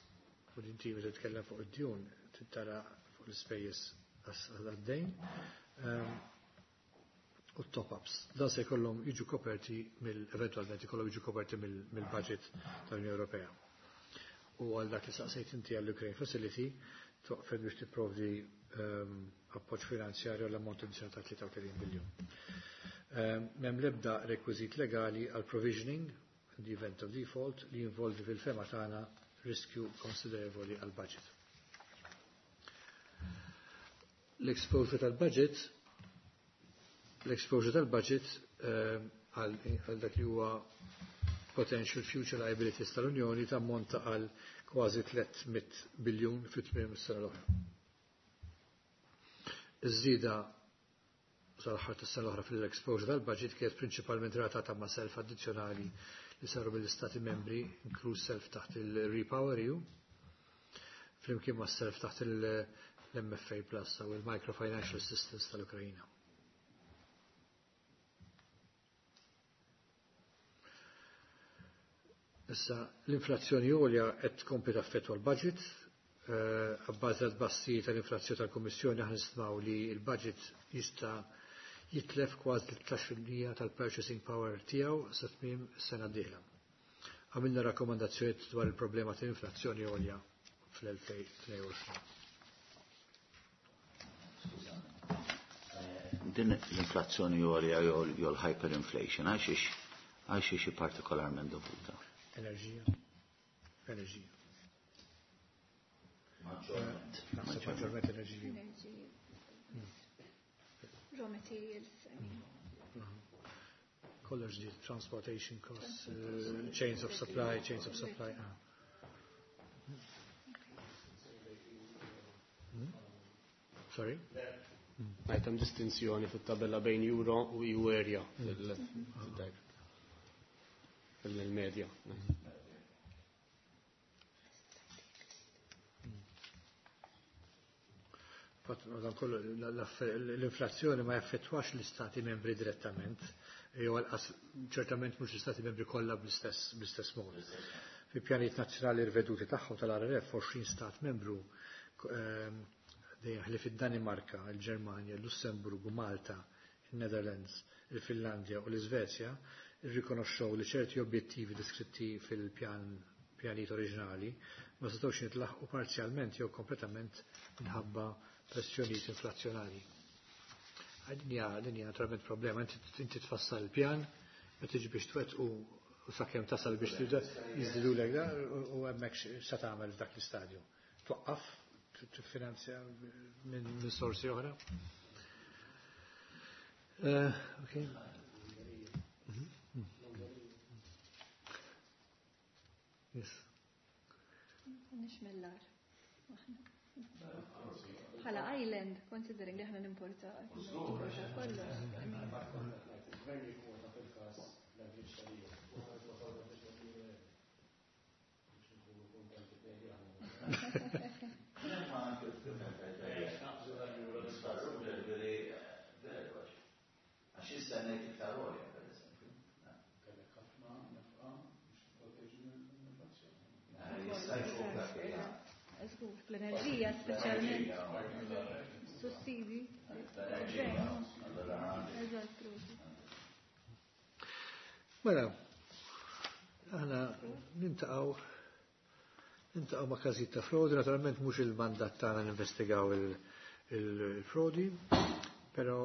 U inti meta titkellem fuq id-djun tara fuq l-ispejjeż għad-dejn u top-ups. Dan se jkollhom jiġu koperti mill eventualment ikollhom jiġu koperti mill-budget tal-Unjoni Ewropea. U għal dak li saqsejt inti għall-Ukraine Facility toqfed biex tipprovdi appoġġ finanzjarju għall ammont ta' 33 biljun. M'hemm l-ebda rekwiżit legali għal provisioning in the event of default li jinvolvi fil-fema tagħna riskju konsiderevoli għal budget. L-exposure tal-budget l-exposure tal-budget għal dak li huwa potential future liabilities tal-Unjoni tammonta għal kważi 300 biljun fit-tmiem is-sena l-oħra. Iż-żieda sal-aħħar tas-sena l-oħra fil-exposure tal-budget kienet prinċipalment relatata ma' self addizzjonali li saru mill-Istati membri, inkluż self taħt il-Repower EU, flimkien ma' self taħt l-MFA Plus u il-Microfinancial Assistance tal-Ukrajina. Issa, l-inflazzjoni għolja qed tkompli taffettwa l-budget, abbażi tal-bassi tal-inflazzjoni tal-Kummissjoni aħna nistmaw li l-budget jista' jitlef kważi 13% tal-purchasing power tiegħu sa tmiem is-sena d-dieħla. Għamilna rakkomandazzjonijiet dwar il-problema tal-inflazzjoni għolja fl-2022. Din l-inflazzjoni għolja jew l-hyperinflation għalxiex partikolarment dovuta? Enerġija. Enerġija. Maġġorment. Naħseb maġġorment enerġija. Raw materials, I mean. Kollox di transportation costs, chains of supply, chains of supply. Sorry? Hemm distinzjoni fit-tabella bejn euro u EU area fil-medja. L-inflazzjoni ma jaffettwax l-istati membri direttament, jew ċertament mhux l-istati membri kollha bl-istess mod. Fi pjanijiet nazzjonali riveduti tagħhom tal-RRF 20 stat membru dejjem ħlief id-Danimarka, il-Ġermanja, il-Lussemburgu, Malta, il-Netherlands, il-Finlandja u l-Iżvezja irrikonoxxew li ċerti objettivi deskritti fil-pjan pjanijiet oriġinali ma setgħux jintlaħqu parzjalment jew kompletament minħabba pressjonijiet inflazzjonari. Din hija naturalment problema, inti tfassal il-pjan, meta tiġi biex twettqu u sakemm tasal biex tibda jiżdidulek da u hemmhekk se tagħmel f'dak l-istadju. Twaqqaf, tiffinanzja minn sorsi oħra. Okay. Yes. Nix mill-ar. Bħala island, considering li aħna nimporta kollox. Għax jistennejt iktar għolja, per eżempju. Jista' jkun dak Żgur, fl-enerġija speċjalment. Sussidi. L-enerġija, allora Eżatt, prosit. Mela, aħna niltaqgħu ma' każijiet ta' frodi, naturalment mhux il-mandat tagħna ninvestigaw il-frodi, però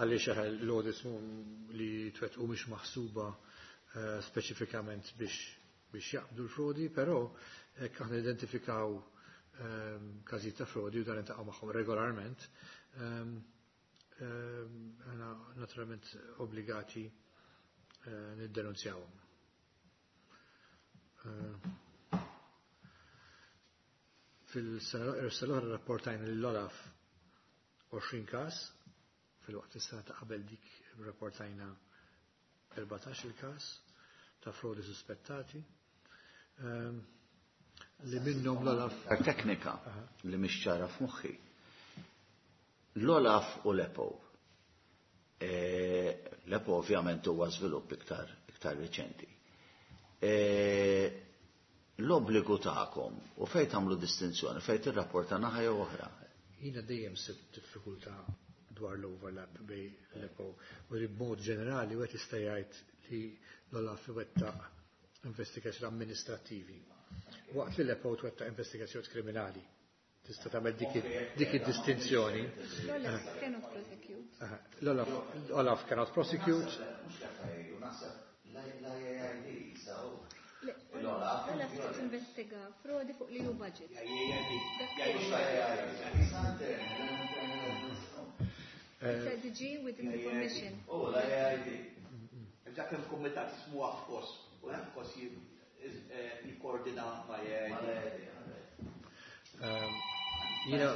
għaliex l-audits li twettqu mhix maħsuba speċifikament biex jaqbdu l-frodi, però hekk aħna identifikaw każijiet ta' frodi u dan niltaqgħu magħhom regolarment, aħna naturalment obbligati niddenunzjawhom. Fil-sena l-oħra rapportajna l-Olaf 20 każ, fil-waqt is-sena ta' qabel dik rapportajna 14 il-każ ta' frodi suspettati. Li minnhom l-Olaf. Teknika li mhix ċara f'moħħi. L-Olaf u l-EPO. L-EPO ovvjament huwa żvilupp iktar riċenti. L-obbligu tagħkom u fejn tagħmlu distinzjoni, fejn tirrapporta naħa jew oħra. Jiena dejjem sibt diffikultà dwar l-overlap bejn l-EPO u li b'mod ġenerali wieħed jista' jgħid li l-Olaf iwettaq investigazzjoni amministrattivi. Waqt li l-EPO twettaq investigazzjoni kriminali. Tista' tagħmel dik id-distinzjoni. L-Olaf cannot prosecute. L-Olaf cannot prosecute. L-Olaf tinvestiga frodi fuq l-EU budget. It's a DG within the Commission. Oh, l-AID. Dak hemm kumitat ismu AFCOS, u l-AFCOS jikkoordina ma' AID. Jiena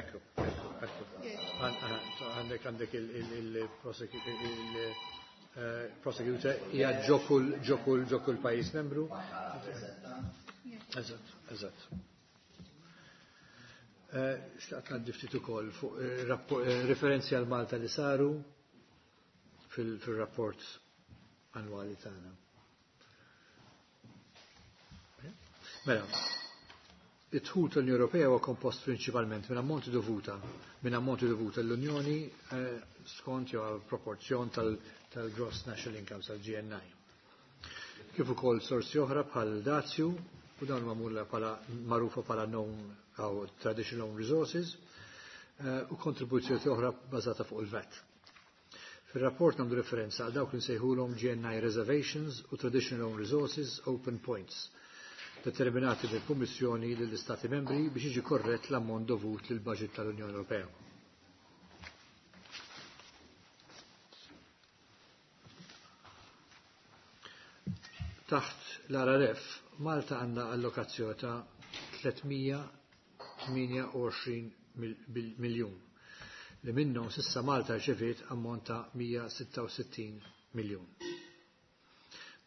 Ekku, ekku. Għandek il-prosecutor hija ġo kull pajjiż membru. Eżatt. Xtaqt ngħaddi ftit ukoll fuq referenzi għal Malta li saru fil-rapport annwali tagħna. Mela, id-dħul tal-Unjoni Ewropea huwa kompost prinċipalment minn ammonti dovuta l-Unjoni skont jew għal proporzjon tal-Gross National Income, tal-GNI. Kif ukoll sorsi oħra bħal dazju u dawn magħmula bħala magħrufa bħala known jew traditional own resources u kontribuzzjoni oħra bażata fuq il-VAT. Fil-rapport nagħmlu referenza għal dawk li nsejħulhom GNI reservations u traditional own resources open points determinati mill-Kummissjoni lill-Istati membri biex jiġi korrett l-ammont dovut lil budget tal-Unjoni Ewropea. Taħt l-RRF, Malta għandha allokazzjoni ta' 328 miljun li minnhom s'issa Malta rċeviet ammont ta' 166 miljun.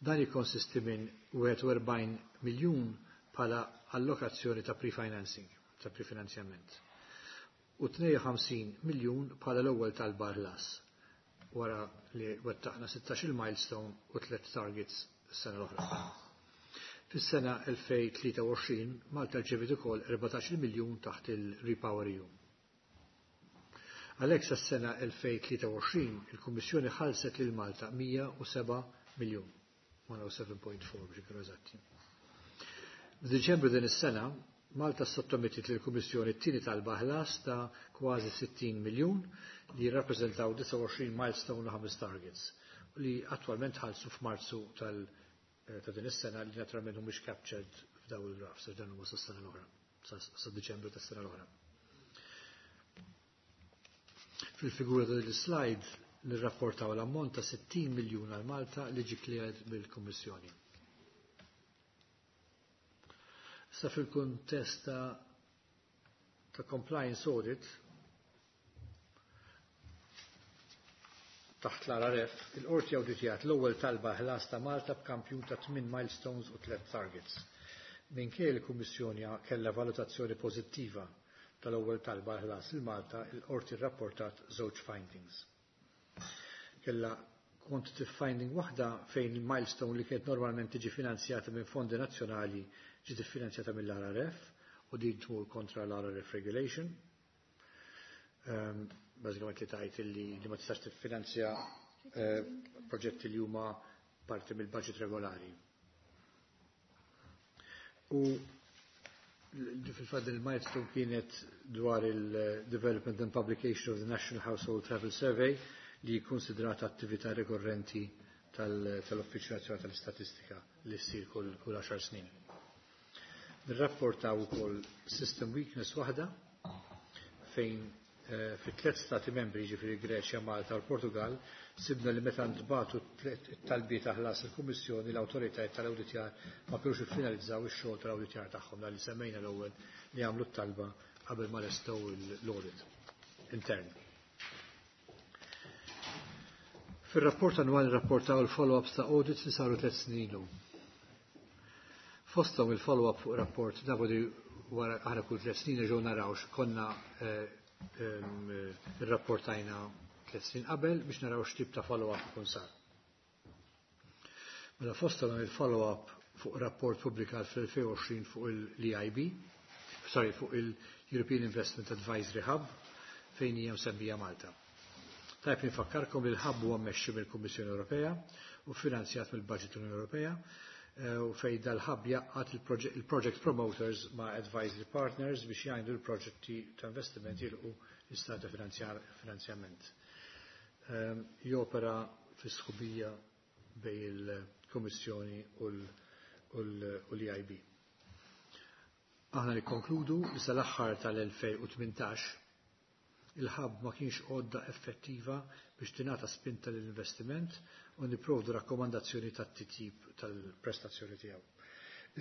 Dan jikkonsisti minn 41 miljun bħala allokazzjoni ta' pre-financing, ta' prefinanzjament, u 52 miljun bħala l-ewwel talba ħlas wara li wettaqna 16 milestone u 3 targets s-sena l-oħra. Fis-sena 2023 Malta rċeviet ukoll 14 miljun taħt il-Repower EU. Għalhekk sas-sena 2023 il-Kummissjoni ħallset lil Malta 107 miljun, 107.4 biex ikunu eżatti. F'Diċembru din is-sena Malta sottomettit lill-Kummissjoni t-tieni talba ħlas ta' kważi 60 miljun li jirrappreżentaw 29 milestone u 5 targets li attwalment ħallsu f'Marzu tal ta' din is-sena li naturalment mhumiex captured f'daw il-graphs għax dan huma sas-sena l-oħra, sa Diċembru tas-sena l-oħra. Fil-figura ta' il-slide nirrapportaw l-ammont ta' 60 miljun għal Malta li ġi cleared mill-Kummissjoni. Issa fil-kuntest ta' compliance audit taħt l-RRF, il-qorti awditjat l-ewwel talba ħlas ta' Malta b'kampjun ta' 8 milestones u 3 targets. Minkejja l-Kummissjoni kellha valutazzjoni pożittiva tal-ewwel talba ħlas il Malta, il-qorti rrapportat żewġ findings. Kella quantitative finding waħda fejn il-milestone li kienet normalment tiġi finanzjata minn fondi nazzjonali ġiet iffinanzjata mill-RRF u din tmur kontra l-RRF regulation. Bażikament li tajt li ma tistax tiffinanzja proġetti li huma parti mill-budget regolari. U fil-fatt il-milestone kienet dwar il-Development and Publication of the National Household Travel Survey li konsidrata attività rikorrenti tal-Uffiċċju Nazzjonali tal-Istatistika li ssir kull 10 snin. Nirrapportaw ukoll system weakness waħda fejn fi tliet stati membri, ġifieri Greċja, Malta u l-Portugal, sibna li meta ntbagħtu t-talbiet ta' ħlas il-Kummissjoni l-awtoritajiet tal-awditjar ma kinux iffinalizzaw ix-xogħol tal-awditjar tagħhom li semmejna l-ewwel li għamlu t-talba qabel ma lestew l-audit intern. Fir-rapport annwali rapportaw il-follow-ups ta' audits li saru 3 snin ilu. Fosthom il-follow-up fuq rapport dabodi wara aħna kull 3 snin ġew naraw x'konna irrapportajna 3 snin qabel biex naraw x'tip ta' follow-up ikun sar. Mela fosthom il-follow-up fuq rapport pubblikat fl-2020 fuq l-EIB, sorry, fuq il-European Investment Advisory Hub fejn hija msemmija Malta. Tajb nifakkarkom li l-hub huwa mmexxi mill-Kummissjoni Ewropea u finanzjat mill-Budget Unjoni Ewropea u fej dal-hub jgħaqqad il-project promoters ma' advisory partners biex jgħidu l-proġetti ta' investiment jilqu l-istat ta' finanzjament. Jopera fi sħubija bejn il-Kummissjoni u l-EIB. Aħna nikkonkludu li sal-aħħar tal-2018 il-hub ma kienx għodda effettiva biex tingħata spinta l-investiment u nipprovdu rakkomandazzjoni tat-titjib tal-prestazzjoni tiegħu.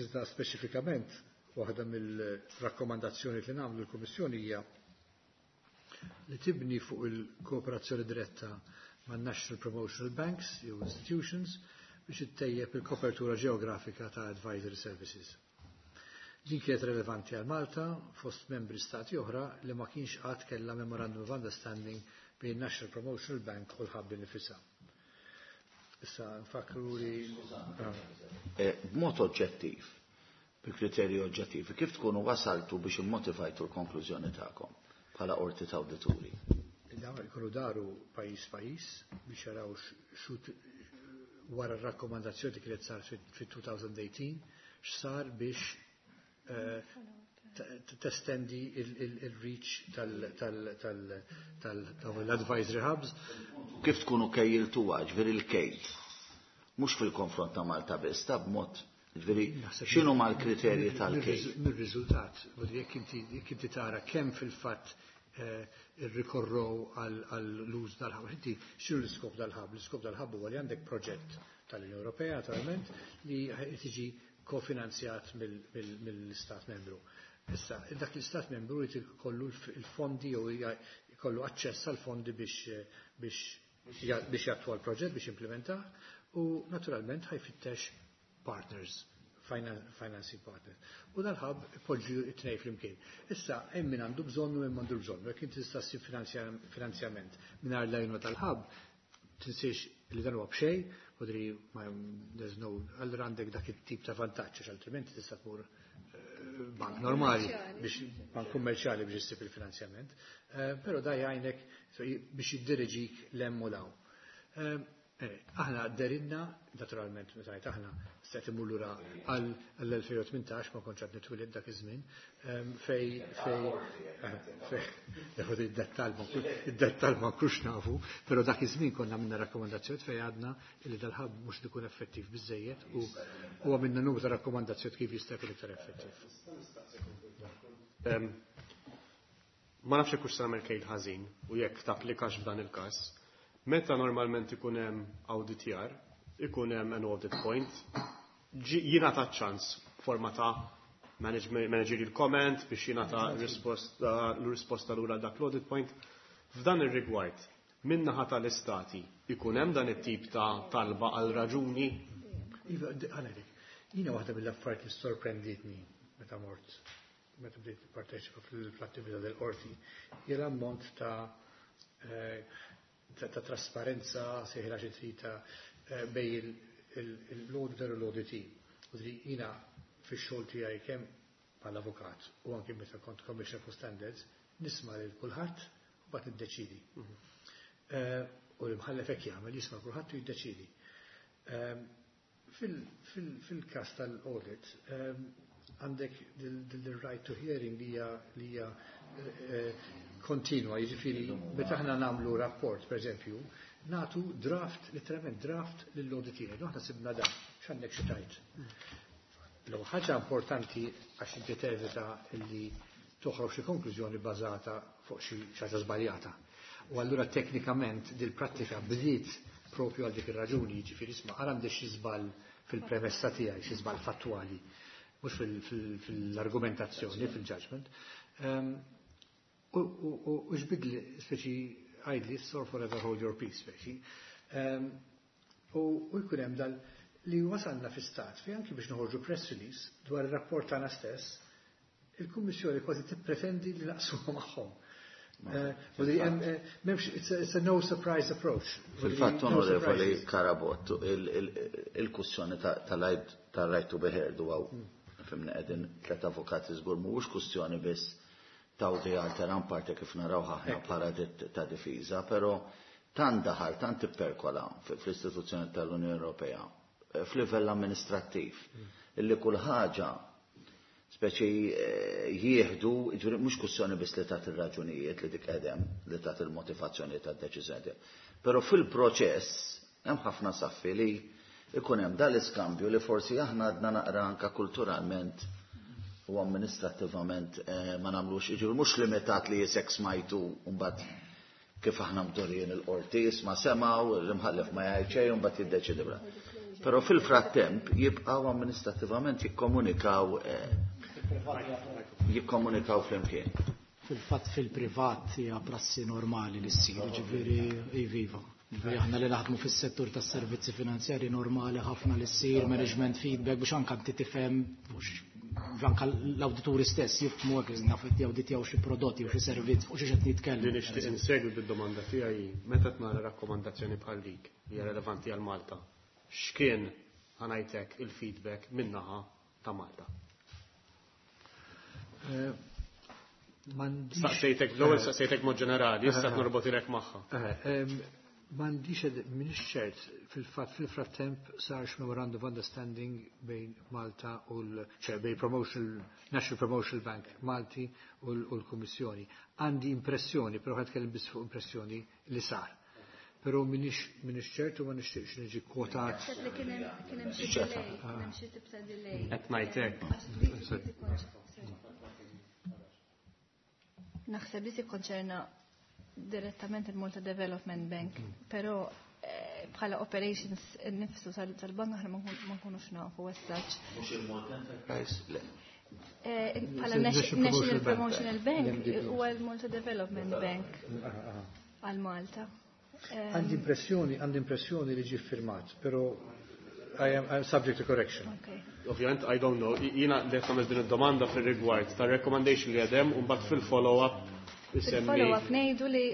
Iżda speċifikament waħda mill-rakkomandazzjoni li nagħmlu l-Kummissjoni hija li tibni fuq il-kooperazzjoni diretta ma' National Promotional Banks jew Institutions biex ittejjeb il-kopertura ġeografika ta' advisory services. Din kienet relevanti għal Malta fost membri stati oħra li ma kienx qatt kellha Memorandum of Understanding bejn National Promotional Bank u l-hub nifisha. Issa nfakru li B'mod oġġettiv, bi kriterji oġġettivi, kif tkunu wasaltu biex immotivajtu l-konklużjoni tagħkom bħala qorti ta' awdituri? Dawn ikunu daru pajjiż pajjiż biex jaraw xut wara r-rakkomandazzjoni kienet sar fit-2018 x'sar biex testendi il-reach tal-advisory hubs. Kif tkunu kejjiltuha, ġifieri l-kejl? Mhux fil-konfront ta' Malta biss, ta' b'mod, ġifieri x'inhu mal-kriterji tal-kejl? Mir-riżultat, jekk inti tara kemm fil-fatt irrikorrow għall-uż dal-hub. Inti x'inhu l-iskop dal-hub? L-iskop dal-hub huwa li għandek proġett tal-Unjoni Ewropea, naturalment, li tiġi kofinanzjat mill-Istat membru. Issa, dak l-Istat membru jrid ikollu l-fondi jew jkollu aċċess għal fondi biex jattwa l-proġett, biex implementah, u naturalment ħa jfittex partners, financing partners. U dal-hub poġġu it-tnej flimkien. Issa, hemm min għandu bżonnu, hemm għandu bżonnu. Jekk inti tista' ssib finanzjament mingħajr l-għajnuna tal-hub, tinsiex li dan huwa b'xejn, u dri ma there's no, allura għandek dak it-tip ta' vantaġġ, għax altrimenti tista' tmur bank normali, biex bank kummerċjali biex issib il-finanzjament. Però da jgħinek biex jiddiriġik 'l hemm u 'l hawn. Aħna derinna, naturalment, meta ngħid aħna, stajt imur lura għall-2018, ma kontx għadni twilid dak iż-żmien, fejn id-dettal ma nkunx nafu, però dak iż-żmien konna minna rakkomandazzjoni fejn għadna li dal-hub mhux ikun effettiv biżejjed u għamilna numru ta' rakkomandazzjoni kif jista' jkun iktar effettiv. Ma nafx jekk hux se nagħmel kejl ħażin u jekk tapplikax f'dan il-każ. Meta normalment ikun hemm auditjar, ikun hemm an audit point, jingħata ċans forma ta' managerial comment biex jingħata l-risposta lura dak l-audit point. F'dan ir-rigward, min-naħa tal-istati ikun hemm dan it-tip ta' talba għal raġuni? Iva, ħanedek, jiena waħda mill-affarijiet li sorprenditni meta mort, meta bdejt parteċipa fl-attività del-qorti, hija l-ammont ta' trasparenza, sejħila xi trid ta' bejn l-auditor u l-auditee. U dri jiena fix-xogħol tiegħi kemm bħala avukat u anke meta kont Commissioner for Standards, nisma' lil kulħadd u mbagħad niddeċidi. U l-imħallef hekk jagħmel, jisma' kulħadd u jiddeċidi. Fil-każ tal-audit, għandek dil-right to hearing li hija kontinwa, jiġifieri meta aħna nagħmlu rapport, per eżempju, nagħtu draft, literalment draft lill-auditier. Aħna sibna dan, x'għandek xi tgħid. L ħaġa importanti għax inti tevita li toħroġ xi konklużjoni bażata fuq xi ħaġa żbaljata. U allura teknikament dil-prattika bdiet propju għal dik ir-raġuni, jiġifieri isma' għal għandek xi żball fil-premessa tiegħi, xi żball fattwali, mhux fil-argumentazzjoni, fil-judgment. U xbidli, speċi għidli, or forever hold your peace, speċi. U jkun hemm dal li wasalna fi stat fi anki biex noħorġu press release dwar ir-rapport tagħna stess, il-Kummissjoni kważi tippretendi li naqsuha magħhom. U li hemm, m'hemmx, it's a no surprise approach. Fil-fatt, No onorevoli surprises. Carabott, il-kwestjoni tal-right to be heard u hawn, fhimni, qegħdin tlet avukati żgur mhuwiex kwestjoni biss ta' audi alteram partem kif naraw aħna bħala dritt ta' difiża, però tant daħal, tant ipperkola fl-istituzzjoni tal-Unjoni Ewropea, f'livell amministrattiv, illi kull ħaġa speċi jieħdu, ġuri, mhux kwestjoni biss li tagħti ir-raġunijiet li dik qedem, li tagħti il-motivazzjoni tad-deċiżjoni. Però fil-proċess hemm ħafna saffi li ikun hemm dal-iskambju li forsi aħna għadna naqra anka kulturalment u amministrattivament ma nagħmlux, jiġifieri mhux limitat li jisek smajtu mbagħad kif aħna mdorrijin il-qorti, isma' semgħu, l-imħallef ma jgħid xejn u mbagħad jiddeċidi bla. Però fil-frattemp jibqgħu amministrattivament jikkomunikaw flimkien. Fil-fatt fil-privat hija prassi normali li ssir, ġifieri iviva. Ġifieri aħna li naħdmu fis-settur tas-servizzi finanzjari normali ħafna li ssir management feedback biex anke inti tifhem mhux anke l-awdituri stess jifhmu hekk naf qed jawditjaw xi prodotti u xi servizz fuq xi qed nitkellmu. Li nixtieq insegwi bid-domanda tiegħi, meta tnara rakkomandazzjoni bħal dik li hija relevanti għal Malta, x'kien, ħa ngħidlek, il-feedback min-naħa ta' Malta? M'għandix- Staqsejtek l-ewwel, staqsejtek mod ġenerali, issa norbotilek magħha. M'għandix minix ċert fil-fatt fil-frattemp sarx memorandum of understanding bejn Malta u l, ċe, bejn National Promotional Bank Malti u l-Kummissjoni. Għandi impressjoni, però ħa nitkellem biss fuq impressjoni li sar. Però minix ċert u ma nixtieqx niġi kwotat. Naħseb li kien hemm xi delay, kien hemm xi tip ta' delay. Qed ngħidlek. Għax sorry. Naħseb li tikkonċerna direttament il-Malta Development Bank, però bħala Bħala operations nifsu tal-bank aħna ma nkunux nafu as such. Mhux il-Malta Enterprise, le. Bħala National Promotional Bank huwa l-Malta Development Bank għal Malta. Għandi impressjoni li ġie firmat, però I am subject to correction. Okay. Ovvjament, I don't know. Jiena li għamilt din id-domanda fil-rigward ta' recommendation li għadem u mbagħad fil-follow-up isemmi. Fil-follow-up ngħidu li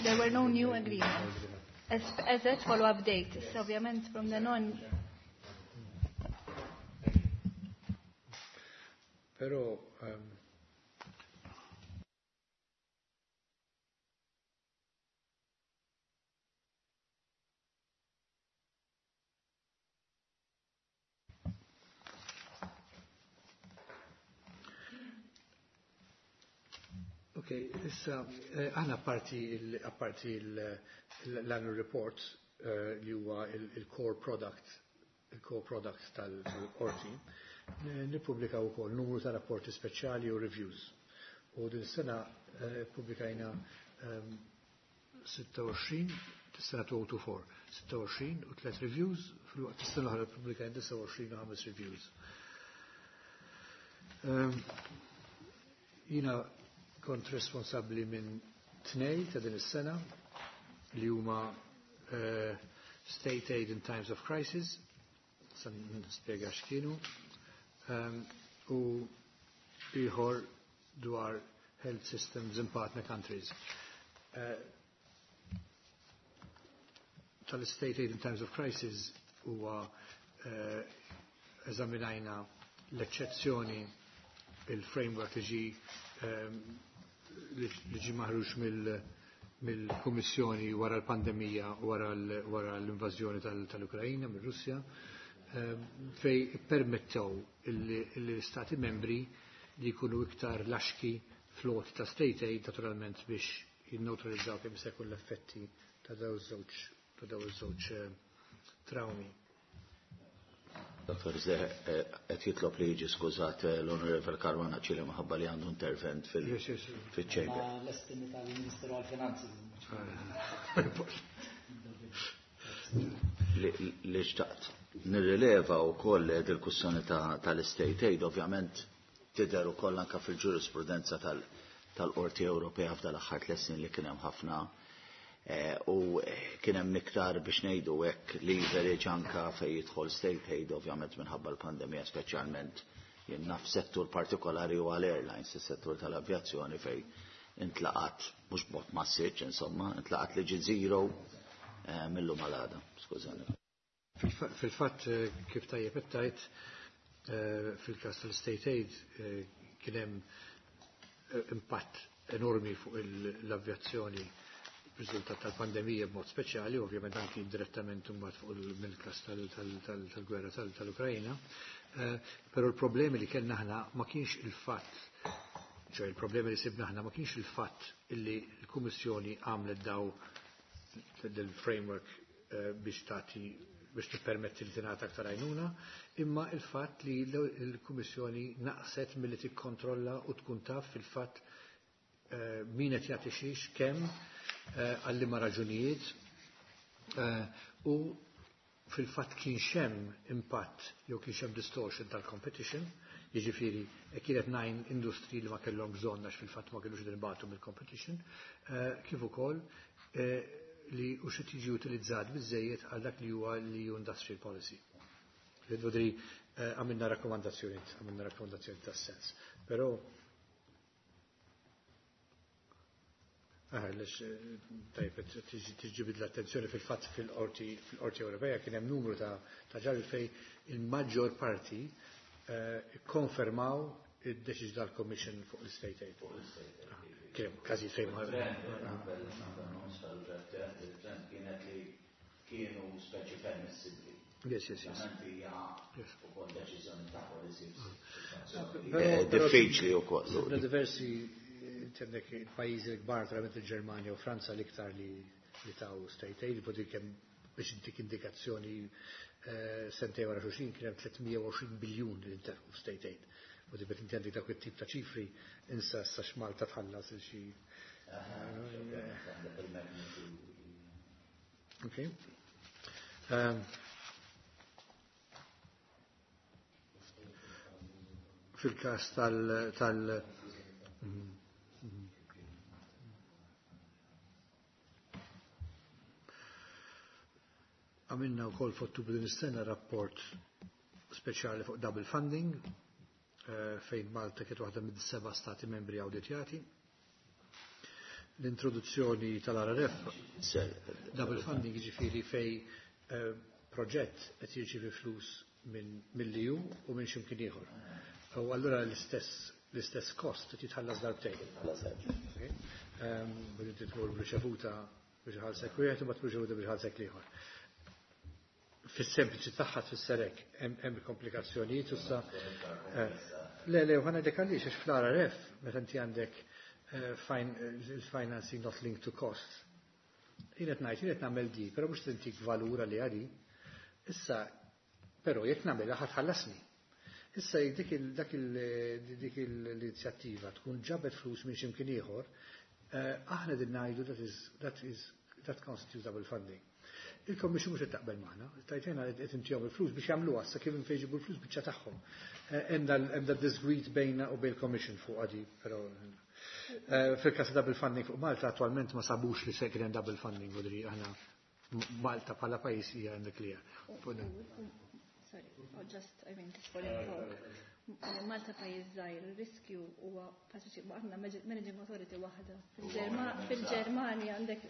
there were no new agreements. As at follow-up date. So ovvjament from then on. Però Ok, issa, aħna apparti l-annual report li huwa il-core product, il-core product tal-qorti, nippubblikaw ukoll numru ta' rapporti speċjali u reviews. U din sena pubblikajna 26, sena 2024, 26 u 3 reviews, fil-waqt is-sena l-oħra pubblikajna 29 u 5 reviews. Jina kont responsabbli minn 2 ta' din is-sena li huma State Aid in Times of Crisis, sa nispjega x'kienu, u ieħor dwar Health Systems in Partner Countries. Tal-State Aid in Times of Crisis huwa eżaminajna l-eċċezzjoni il-framework li ġi maħruġ mill-Kummissjoni wara l-pandemija, wara l-invażjoni tal-Ukrajna mir-Russja, fej permettew l-Stati membri li jkunu iktar laxki flot ta' state aid naturalment biex jinneutralizzaw kemm se jkun l-effetti ta' daw iż-żewġ traumi. Dr. Zeh, qed jitlob li jiġi skużat l-Onorevole Caruana Cile minħabba li għandu intervent fil-ċejber. L-estimi tal-Ministeru għal-Finanzi. Li xtaqt nirrileva wkoll dil-kwistjoni tal-State Aid, ovvjament tidher ukoll anke fil-ġurisprudenza tal-Qorti Ewropea f'dal aħħar 3 snin li kien hemm ħafna u kien hemm iktar biex ngħidu hekk leverage anka fejn jidħol state aid ovvjament minħabba l-pandemija, speċjalment jien naf settur partikolari u għal airlines, is-settur tal-avjazzjoni fejn intlaqat mhux b'mod massiċ, insomma, intlaqat li ġi zero mill-lum għal għada. Skużani. Fil-fatt kif tajjeb qed tgħid, fil-każ tal-state aid kien hemm impatt enormi fuq l-avjazzjoni riżultat tal-pandemija b'mod speċjali, ovvjament anki direttament imbagħad fuq mill-każ tal-gwerra tal-Ukrajna. Però l-problemi li kellna aħna ma kienx il-fatt, ċoħ il-problemi li sibna aħna ma kienx il-fatt illi l-Kummissjoni għamlet daw del-framework biex tagħti biex tippermetti li tingħata aktar għajnuna, imma il-fatt li l-Kummissjoni naqset milli tikkontrolla u tkun taf fil-fatt min qed jagħti xiex kemm għal liema raġunijiet u fil-fatt kien xem impatt jew kien xem distortion tal-competition, jiġifieri kienet 9 industri li ma kellhom bżonn għax fil-fatt ma kellux dinbatu mill-competition, kif ukoll li u xi tiġi utilizzat biżejjed għal dak li huwa l-EU Industrial Policy. Vodri għamilna rakkomandazzjoni tas-sens. Però tajb, tiġi l-attenzjoni fil-fatt fil-Qorti Ewropea kien hemm numru ta' ġarri fej il-maġġor parti konfermaw id-deċiżjoni tal-Commission fuq l-State Aid. Kien hemm każijiet fejn ma- Il-trend kienet li kienu speċi permissibbli. Yes, yes, yes. Ukoll deċiżjoni ta' policy. Diffiċli wkoll. Sibna diversi għandek il-pajjiżi l-kbar, naturalment il-Ġermanja u Franza l-iktar li taw state aid, vodi kemm biex intik indikazzjoni sentej wara xulxin kien hemm 320 biljun li ntefqu state aid. Vodi bet inti għandek dawk it-tip ta' ċifri insa sa x'Malta tħallas il xi. Okay. Fil-każ tal Għamilna wkoll f'Ottubru din is-sena rapport speċjali fuq double funding fejn Malta kienet waħda mid-seba' stati membri awditjati. L-introduzzjoni tal-RRF, double funding ġifieri fej proġett qed jirċievi flus minn mill-EU u minn x'imkien ieħor. U allura l-istess kost qed jitħallas darbtejn. Billi tmur b'riċevuta biex iħallsek wieħed u mbagħad b'riċevuta biex iħallsek l-ieħor. Fis-sempliċi tagħha tfisser hekk, hemm komplikazzjonijiet u sa Le, le, u ħa ngħidlek għaliex, għax fl-RRF, meta inti għandek il-financing not linked to cost. Jien qed ngħid, jien qed nagħmel di, però mhux tintik valur għalli għali. Issa, però jekk nagħmilha ħa tħallasni. Issa jekk dik l-inizjattiva tkun ġabet flus minn x'imkien ieħor, aħna din ngħidu that constitutes double funding. Il-Commission mhux qed taqbel magħna, tajtejna qed intihom il-flus biex jagħmluha sa kif fejn jġibu l-flus biċċa tagħhom. Hemm da disgwid bejna u bejn il-Commission fuq għadi, però fil-każ ta' double funding fuq Malta attualment ma sabux li se kien hemm double funding u dri aħna Malta bħala pajjiż hija in the clear. Sorry, oh, just, I mean, just for info. Malta pajjiż żgħir, ir-riskju huwa faċli aħna managing authority waħda. Fil-Ġermanja għandek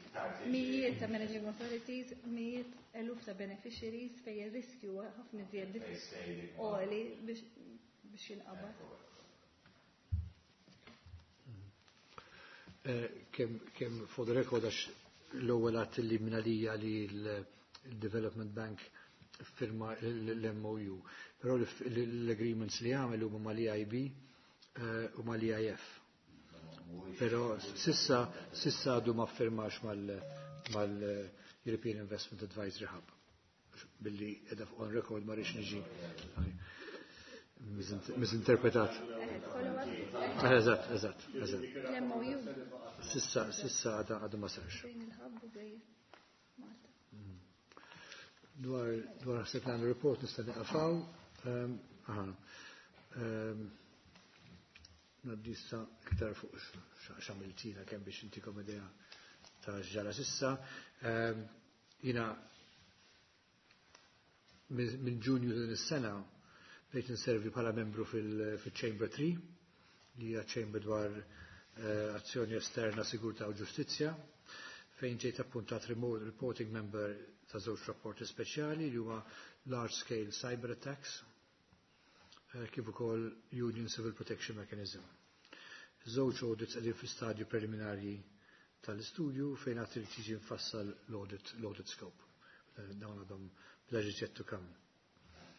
mijiet ta' managing authorities, mijiet eluf ta' beneficiaries fejn ir-riskju huwa ħafna iżjed għoli biex jinqabad. Kemm for the record, għax l-ewwel għadt li minn li l-Development Bank firma l-MOU. Però l-agreements li għamel huma mal-EIB u mal-EIF. Però sissa għadu ma firmax mal-European Investment Advisory Hub. Billi edha on record ma rridx niġi misinterpretat. Eżatt, eżatt, eżatt. L-MOU. Sissa għadu ma sarx. Bejn il-hub u bejn Malta. Dwar ħseb l report nista' nieqaf hawn. Aha. Ngħaddi issa iktar fuq x'għamiltina kemm biex intikom idea ta' x'ġara sissa. Jiena minn Ġunju din is-sena bdejt inservi bħala membru fil-Chamber 3, li hija chamber dwar azzjoni esterna, sigurtà u ġustizzja, fejn ġejt appuntat reporting member ta' żewġ rapporti speċjali li huma large scale cyber attacks kif ukoll Union Civil Protection Mechanism. Żewġ audits qegħdin fi stadju preliminarji tal-istudju fejn għad irid jiġi mfassal l-audit scope. Dawn għadhom pleasure yet to come.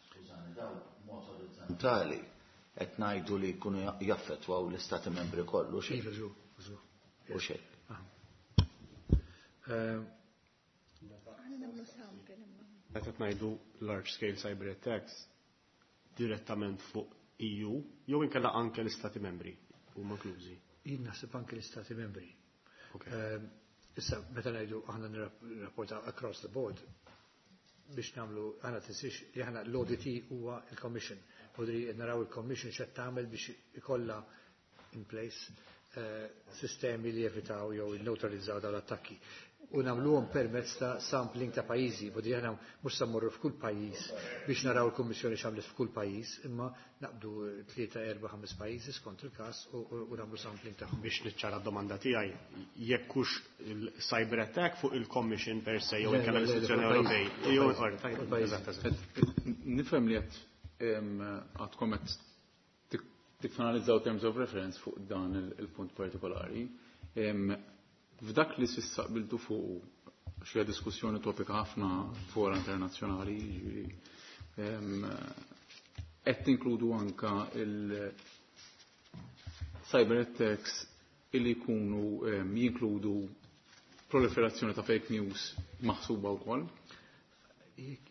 Skużani, daw mod orizzontali qed ngħidu li jkunu jaffettwaw l-istati membri kollu xejn. Iva, żgur, żgur. U xejn. Aħna nagħmlu sample imma. Meta qed ngħidu large scale cyber attacks direttament fuq EU jew inkella anke l-istati membri huma inklużi. Jien naħseb anke l-istati membri. Issa meta ngħidu aħna nirrapporta across the board biex nagħmlu aħna tinsiex li aħna l-audit huwa il-Commission. Podri naraw il-Commission x'qed tagħmel biex ikollha in place sistemi li jevitaw jew neutralizzaw dawn l-attakki. U nagħmluhom permezz ta' sampling ta' pajjiżi, podri aħna mhux se mmorru f'kull pajjiż biex naraw il-Kummissjoni x'għamlet f'kull pajjiż, imma naqbdu tlieta, erba', ħames pajjiżi skont il-każ u nagħmlu sampling tagħhom. Biex niċċara d-domanda tiegħi, jekk hux il-cyber attack fuq il-Commission per se jew Le, inkella le, le, l-istituzzjoni fuq Ewropej. il-pajjiż. Jew Fuq orri, tajjeb, il-pajjiż. eżatt, eżatt. Nifhem li qed għadkom qed tiffinalizzaw terms of reference fuq dan il-punt partikolari. F'dak li s'issa qbiltu fuq xi diskussjoni topika ħafna fora internazzjonali, jiġifieri, qed tinkludu anka il-cyber attacks illi jkunu jinkludu proliferazzjoni ta' fake news maħsuba wkoll.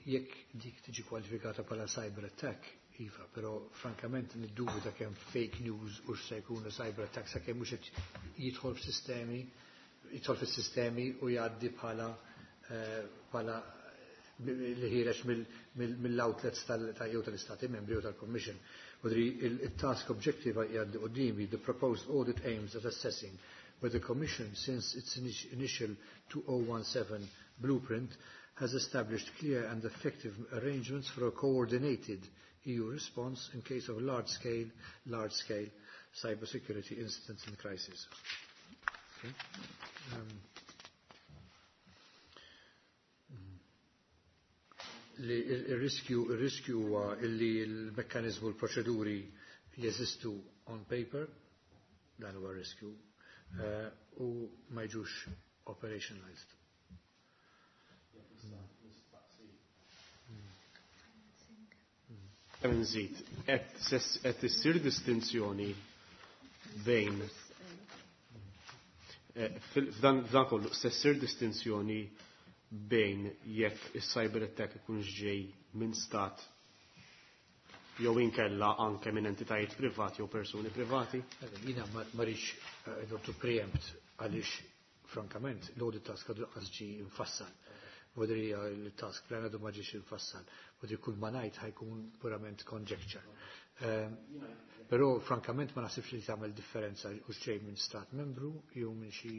Jekk dik tiġi kwalifikata bħala cyber attack, iva, però frankament niddubita kemm fake news u x'se jkunu cyber attack sakemm mhux qed jidħol f'sistemi, jidħol fis-sistemi u jgħaddi bħala li ħiereġ mill-outlets jew tal-Istati membri u tal-Commission. Wadri il-task objective għaddi qudiemi, the proposed audit aims at assessing whether the Commission, since its initial 2017 blueprint, has established clear and effective arrangements for a coordinated EU response in case of large-scale, large-scale cybersecurity incidents and crises. Okay. Li il-riskju huwa illi l-mekkanizmu l-proċeduri jeżistu on paper, dan huwa riskju, u ma jiġux operationalized. Nżid, qed issir distinzjoni bejn f'dan kollu se ssir distinzjoni bejn jekk is-cyber attack ikunx ġej minn stat jew inkella anke minn entitajiet privati jew persuni privati? Jiena ma rridx not to preempt għaliex frankament l-audit task għadu lanqas ġie infassal. Vodri il-task plan għadu ma ġiex infassal. Vodri kull ma ngħid ħa jkun purament conjecture. Però frankament ma naħsibx li tagħmel differenza u xejn minn stat membru jew minn xi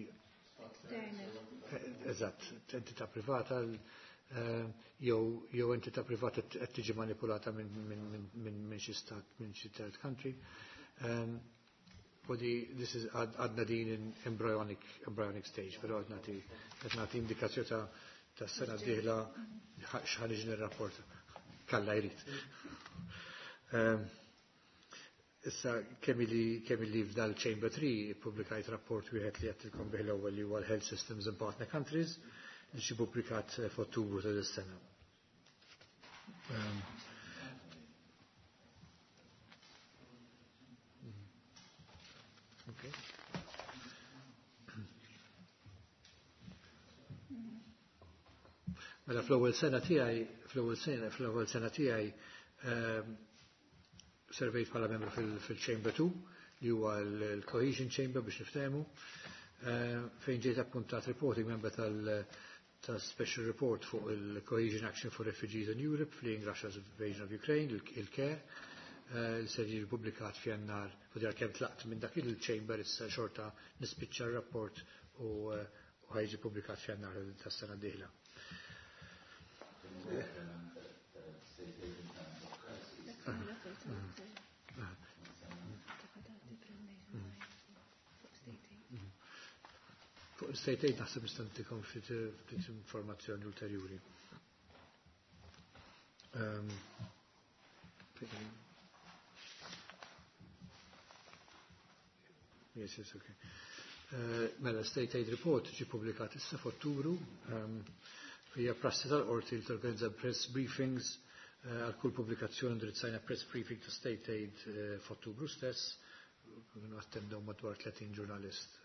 eżatt, entità privata jew entità privata qed tiġi manipulata minn xi stat, minn xi third country. Podi this is għadna din in embryonic stage, però qed nagħti indikazzjoni ta' sena d-dieħla x'ħa niġi nirrapport. Kalla jrid. Issa kemm li f'dal Chamber 3 publikajt rapport wieħed li għedtilkom bih l-ewwel li huwa l-Health Systems in Partner Countries li ġie publikat f'Ottubru ta' dis-sena. Okay. Mela fl-ewwel sena tiegħi servejt bħala membru fil-Chamber 2 li huwa l-Cohesion Chamber biex niftehmu, fejn ġejt appuntat reporting member tal- Special Report fuq il-Cohesion Action for Refugees in Europe fleeing Russia's invasion of Ukraine, il-CARE, li ser jiġi publikat f'Jannar, u djar kemm tlaqt minn dak il-chamber issa xorta nispiċċa r-rapport u ħa jiġi publikat f'Jannar tas-sena d-dieħla. Fuq state aid naħseb nista' ntikom ftit informazzjoni ulterjuri. Yes, okay. Mela, State Aid Report ġi publikat issa f'Ottubru. Hija prassi tal-qorti li torganizza press briefings għal kull pubblikazzjoni. Indirizzajna press briefing ta' State Aid f'Ottubru stess. Kienu attendew madwar 30 ġurnalist.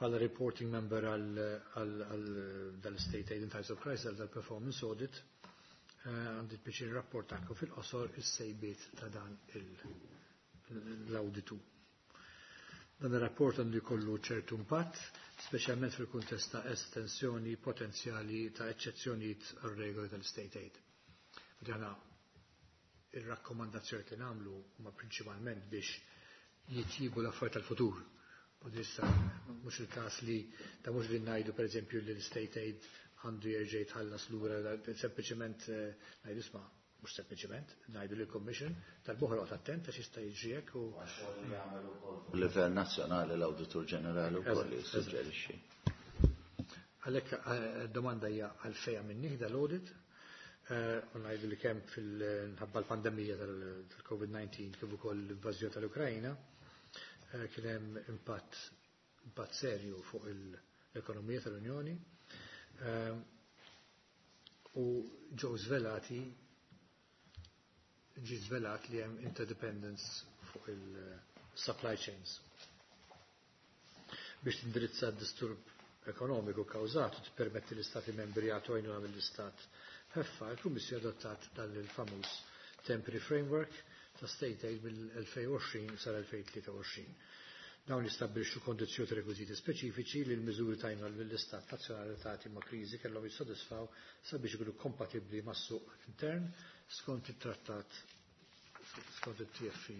Bħala reporting member għal dal-State Aid in Times of Crisis, għal dal-Performance Audit, għandi biex rapportakom fil-qosor is-sejbiet ta' dan l-awditu. Dan ir-rapport għandu jkollu ċertu impatt, speċjalment fil-kuntest ta' estensjoni potenzjali ta' eċċezzjonijiet għar-regoli tal-State Aid. Dana ir-rakkomandazzjoni li nagħmlu huma prinċipalment biex jitjibu l-affarijiet tal-futur. U issa mhux il-każ li ta' mhux li ngħidu pereżempju li l-State Aid għandu jerġa' jitħallas lura, sempliċement ngħidu isma' mhux sempliċement, ngħidu lill commission tal-boħra attent għax jista' jiġri hekk u Livell nazzjonali l-Awditur Ġenerali wkoll jissuġġerixxi. Għalhekk domanda hija għalfejn minn l-audit u ngħidu li kemm fil-ħabba l-pandemija tal-COVID-19 kif ukoll l-invażjoni tal-Ukrajna kien hemm impatt serju fuq l-ekonomija tal-Unjoni u ġew żvelati ġi żvelat li hemm interdependence fuq il-supply chains. Biex tindirizza d-disturb ekonomiku kawżat u tippermetti l-Istati membri jagħtu għajnuna mill-Istat ħeffa, il-Kummissjoni adottat dan il-famuż Temporary Framework ta' State Aid mill-2020 sal-2023. Dawn jistabbilixxu kondizzjoni rekwiżiti speċifiċi li l-miżuri tajna lill-Istat nazzjonali relatati ma' kriżi kellhom jissodisfaw sabiex ikunu kompatibbli mas-suq intern skont it-trattat skont it-TFU.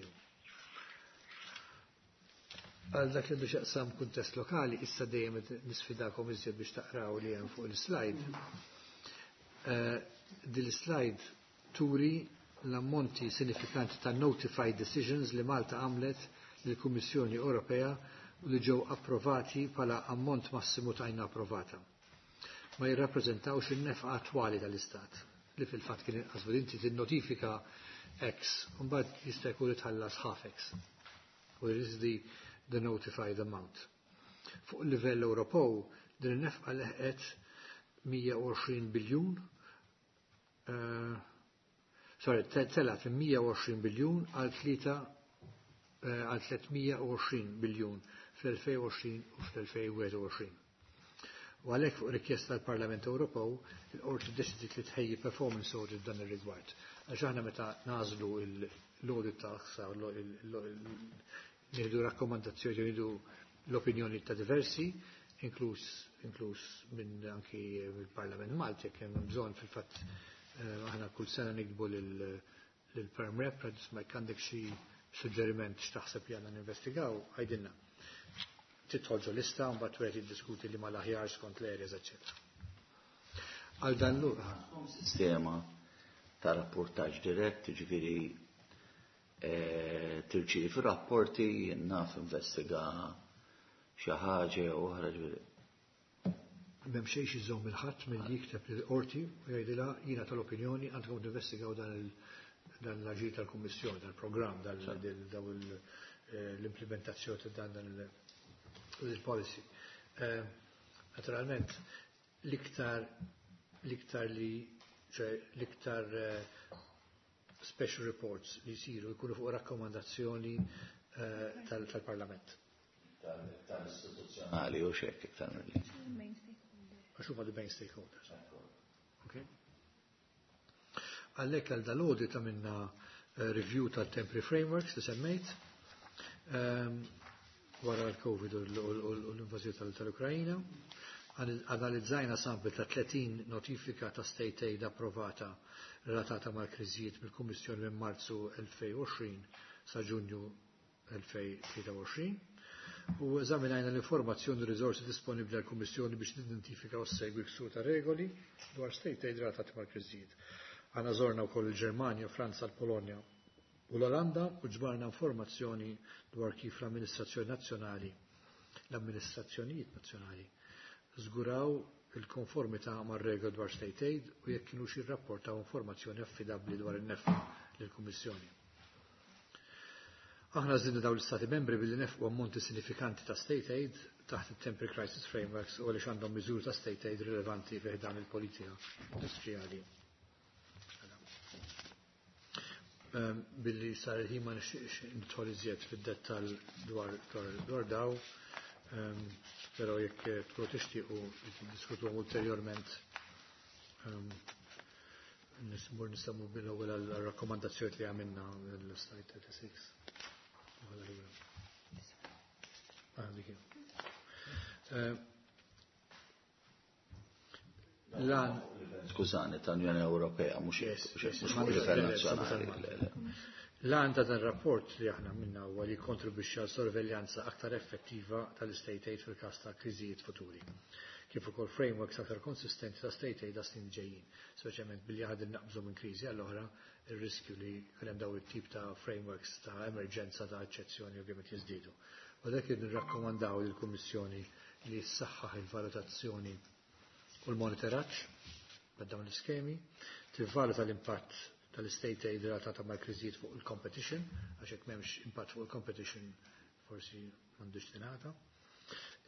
Għal dak li għandu xaqsam kuntest lokali, issa dejjem nisfidakom iżjed biex taqraw li hemm fuq il-slide. Din l-slide turi l-ammonti sinifikanti ta' notified decisions li Malta għamlet lill-Kummissjoni Ewropea u li ġew approvati bħala ammont massimu ta' għajna approvata. Ma jirrappreżentawx in-nefqa attwali tal-Istat li fil-fatt kien inqas inti tinnotifika X u mbagħad jista' jkun tħallas half X. Where is the notified amount. Fuq il-livell Ewropew din in-nefqa leħqet 120 biljun sorry, telgħet minn 120 biljun għal għal 320 biljun fl-2020 u fl-2021. U għalhekk fuq rikjesta tal-Parlament Ewropew, il-qorti ddeċidiet li tħejji performance audit dan ir-rigward. Għax aħna meta nagħżlu l-audit ta' nieħdu rakkomandazzjoni, nieħdu l-opinjoni ta' diversi, inkluż inkluż minn anki mill-Parlament Malti, jekk hemm bżonn fil-fatt aħna kull sena nikbu lil-Perm Rep, ma jekk għandek xi suġġeriment x'taħseb li għandna ninvestigaw, għajdilna. Tidħol ġo lista, mbagħad wieħed jiddiskuti li mal-aħjar skont l-areas, eċetera. Għal dan l Sistema ta' rapportaġġ dirett, ġifieri tirċievi rapporti, naf investiga xi ħaġa oħra ġifieri. M'hemm xejn iżomm il-ħadd milli jikteb lill-qorti u jgħidilha jiena tal-opinjoni għandkom tinvestigaw dan l-aġir tal-Kummissjoni, dal-programm, daw l-implementazzjoni ta' dan il-policy. Naturalment, l-iktar li l-iktar special reports li jsiru jkunu fuq rakkomandazzjoni tal-Parlament. Tal-istituzzjonali u xek iktar mill Għax huma the main stakeholders. Okay? Għalhekk għal dal-audit għamilna review tal-temporary frameworks li semmejt wara l-Covid u l-invażjoni tal-Ukrajina. Analizzajna sample ta' 30 notifika ta' state aid approvata relatata mal-kriżijiet mill-Kummissjoni minn Marzu 2020 sa' Ġunju 2023 u eżaminajna l-informazzjoni u riżorsi disponibbli għall-Kummissjoni biex tidentifika u ssegwi ksur ta' regoli dwar state aid relatati mal-kriżijiet. Aħna żorna wkoll il-Ġermanja, Franza, l-Polonja u l-Olanda u ġbarna informazzjoni dwar kif l-amministrazzjoni nazzjonali, l-amministrazzjonijiet nazzjonali żguraw il-konformità mar-regoli dwar state aid u jekk kienux jirrapportaw informazzjoni affidabbli dwar in-nefqa lill-Kummissjoni. Aħna żidna dawn l-Istati membri billi nefqu ammonti sinifikanti ta' state aid taħt il-Temporary Crisis Frameworks u għaliex għandhom miżuri ta' state aid rilevanti fi dan il-politika industrijali. Billi sar il-ħin ma nixtieqx nidħol iżjed fid-dettall dwar daw, però jekk tkunu tixtiequ tiddiskutuhom ulterjorment nismur nistamu bil-ewwel għal-rakkomandazzjoni li għamilna l-slide 36. Ah, dik Lan Skużani, tal-Unjoni Ewropea, mhux fuq livell nazzjonali. L-għan ta' dan rapport li aħna minna huwa li kontribwixxi għal sorveljanza aktar effettiva tal-state aid fil-każ ta' kriżijiet futuri. Kif ukoll frameworks aktar konsistenti ta' state aid għas snin ġejjin, speċjalment billi aħna naqbżu minn kriżi għall-oħra ir-riskju li jkun hemm daw it-tip ta' frameworks ta' emerġenza ta' eċċezzjoni ovvjament jiżdiedu. U dak nirrakkomandaw lill-Kummissjoni li ssaħħaħ il-valutazzjoni u l-monitoraġġ ta' dawn l-iskemi, tivvaluta l-impatt tal-state aid relatata mal-kriżijiet fuq il-competition, għax hekk m'hemmx impatt fuq il-competition forsi m'għandux tingħata.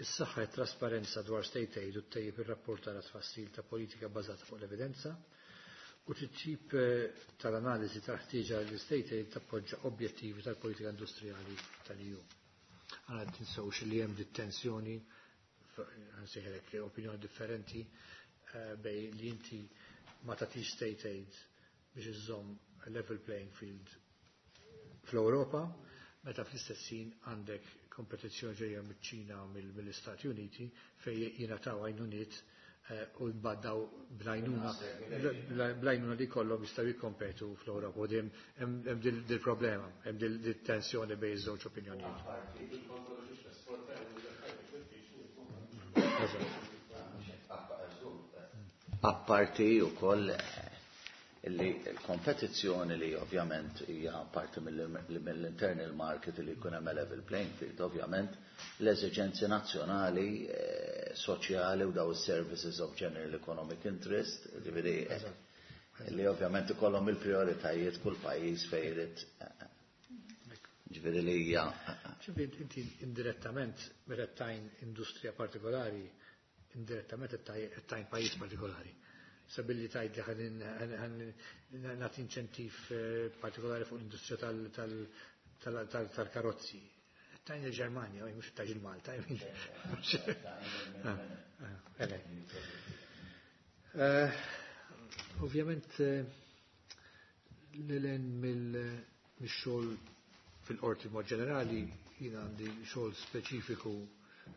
Is-saħħa e trasparenza dwar state aid u ttejjeb ir-rapport tal tfassil ta' politika bbażata fuq l-evidenza u titjib tal-analiżi tal-ħtieġa l state aid tappoġġa objettivi tal-politika industrijali tal-EU. Għana tinsewx li hemm dit-tensjoni, nsejħelek opinjoni differenti bej li inti ma tagħtix state aid biex iżżomm level playing field fl-Ewropa. Meta fl-istess ħin għandek kompetizzjoni ġejja miċ-Ċina mill-Istati Uniti fejn jingħataw għajnuniet u mbagħad bl-għajnuna bl-għajnuna li kollhom jistgħu jikkompetu fl-Ewropa u dejjem hemm dil-problema, hemm dil-tensjoni bejn iż-żewġ opinjonijiet. Apparti wkoll li l-kompetizzjoni li ovvjament hija parti mill-internal market li jkun hemm level playing field, ovvjament l-eżiġenzi nazzjonali, soċjali u daw is-services of general economic interest, ġifieri li ovvjament ikollhom il-prioritajiet kull pajjiż fejn irid ġifieri li hija. Ġifieri inti indirettament meta tajn industrija partikolari, indirettament tajn pajjiż partikolari. Sabilli tajt li ħan nagħti inċentiv partikolari fuq l-industrija tal-karozzi. Tajn il-Ġermanja, mhux tajn il-Malta. Ovvjament l-len mill-xogħol fil-qorti mod ġenerali jien għandi xogħol speċifiku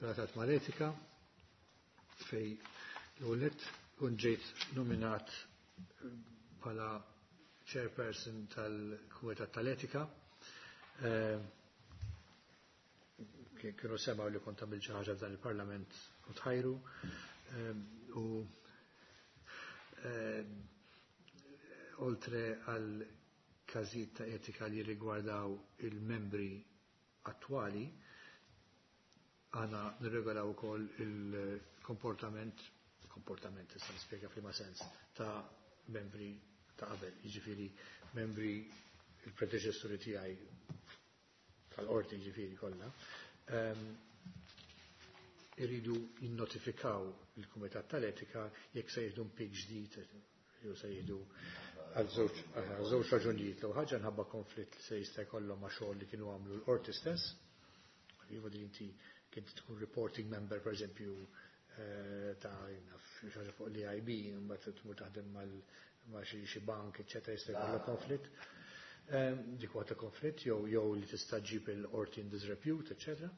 relatat mal-etika fej l-għolet kun ġejt nominat bħala chairperson tal-Kumitat tal-Etika. Kienu semaw li kont għamilt xi ħaġa f'dan il-Parlament u tħajru. U oltre għal każijiet ta' etika li rigwardaw il-membri attwali, għana nirregolaw ukoll il-komportament, komportament issa nispjega f'liema sens, ta' membri ta' qabel, jiġifieri membri il-predeċessuri tiegħi tal-qorti jiġifieri kollha, iridu jinnotifikaw il-Kumitat tal-Etika jekk se jieħdu impjieg ġdid jew se jieħdu għal żewġ raġunijiet. L-ewwel ħaġa nħabba konflitt li se jista' jkollhom ma' xogħol li kienu għamlu l-qorti stess. Iva din inti kien tkun reporting member pereżempju ta' xi ħaġa fuq l-EIB, mbagħad tmur taħdem ma' xi bank, eċċetera, jista' jkollok konflitt. Dik huwa ta' konflitt jew li tista' ġib il-qorti in disrepute, eċċetera.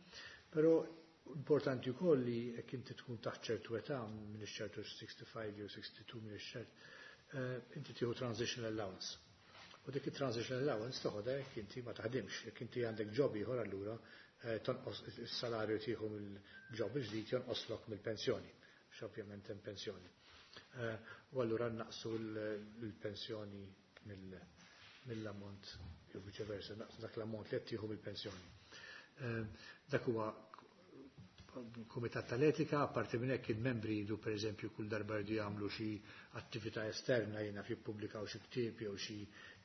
Però importanti wkoll li jekk inti tkun taħt ċertu età, minn ċertu 65 jew 62 minn ċert, inti tieħu transitional allowance. U dik it-transitional allowance toħodha jekk inti ma taħdimx, jekk inti għandek job ieħor allura tonqos is-salarju tieħu mill-job il-ġdid jonqoslok mill-pensjoni, għax ovvjament hemm pensjoni. U allura naqsu l-pensjoni mill-ammont jew viċeversa, naqsu dak l-ammont li qed tieħu mill-pensjoni. Dak huwa Kumitat tal-Etika, apparti minn hekk il-membri jridu pereżempju kull darba jridu jagħmlu xi attività esterna jiena jippubblikaw xi ktieb jew xi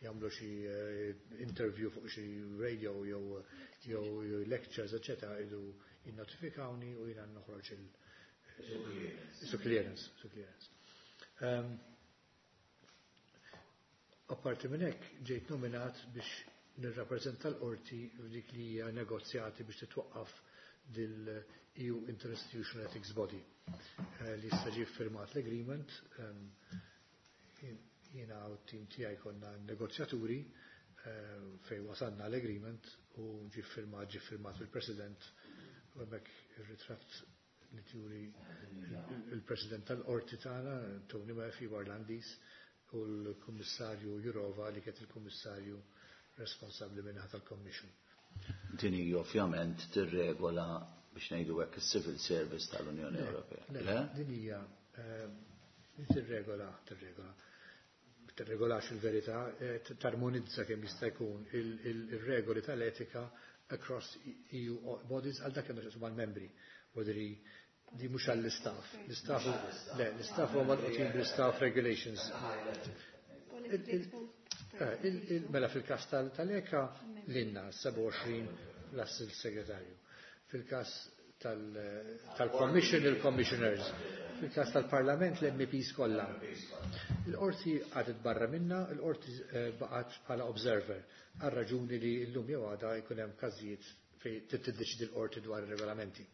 jagħmlu xi interview fuq xi radio jew lectures, eċetera, jridu jinnotifikawni u jiena noħroġ il su clearance, su clearance. Apparti minn hekk ġejt nominat biex nirrappreżenta l-qorti f'dik li hija negozjati biex titwaqqaf dil-EU Interinstitutional Ethics Body li issa ġie firmat l-agreement. Jiena u t-tim tiegħi konna negozjaturi fejn wasalna l-agreement u ġie firmat il-President u hemmhekk ir-ritratt li turi il-President tal-Qorti tagħna, Tony Murphy Irlandiż, u l-Kummissarju Jurova li kienet il-Kummissarju responsabbli minnaħa tal-Commission. Din hi ovvjament tirregola biex ngħidu hekk is-Civil Service tal-Unjoni Ewropea. Le, din hija tirregola, tirregola. Tirregolax il-verità, tarmonizza kemm jista' jkun il-regoli tal-etika across EU bodies għal dak għandu x'jaqsmu mal-membri. Wadri di mhux għall-istaff. L-istaff le, l-istaff huma marbutin bl-istaff regulations. Mela fil-każ tal-ECA l-inna 27 l-assil segretarju. Fil-każ tal-Commission, il-Commissioners. Fil-każ tal-Parlament, l-MPs kollha. Il-qorti għadet barra minna, il-qorti baqgħet bħala observer għal raġuni li llum jew għada jkun hemm każijiet fejn tiddeċidi l-qorti dwar ir-regolamenti.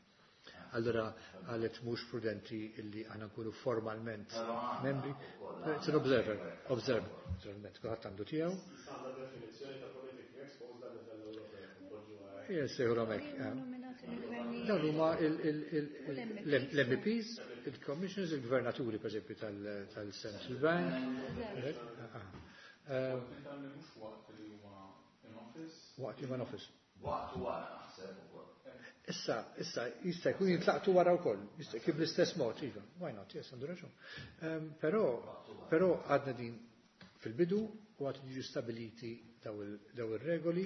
Allora għalet mhux prudenti illi aħna nkunu formalment membri. It's an observer, observer, naturalment, kulħadd għandu tiegħu. Sejħulhom hekk. Dawn huma l-MEPs, il-Commissioners, il-Gvernaturi pereżempju tal-Central Bank. Waqt li huma in office. Waqt u wara naħseb ukoll. Issa, issa, jista' jkun jintlaqtu wara wkoll, jista' kif bl-istess mod, iva, why not, yes, għandu raġun. Però, però għadna din fil-bidu u għad jiġu stabiliti daw ir-regoli.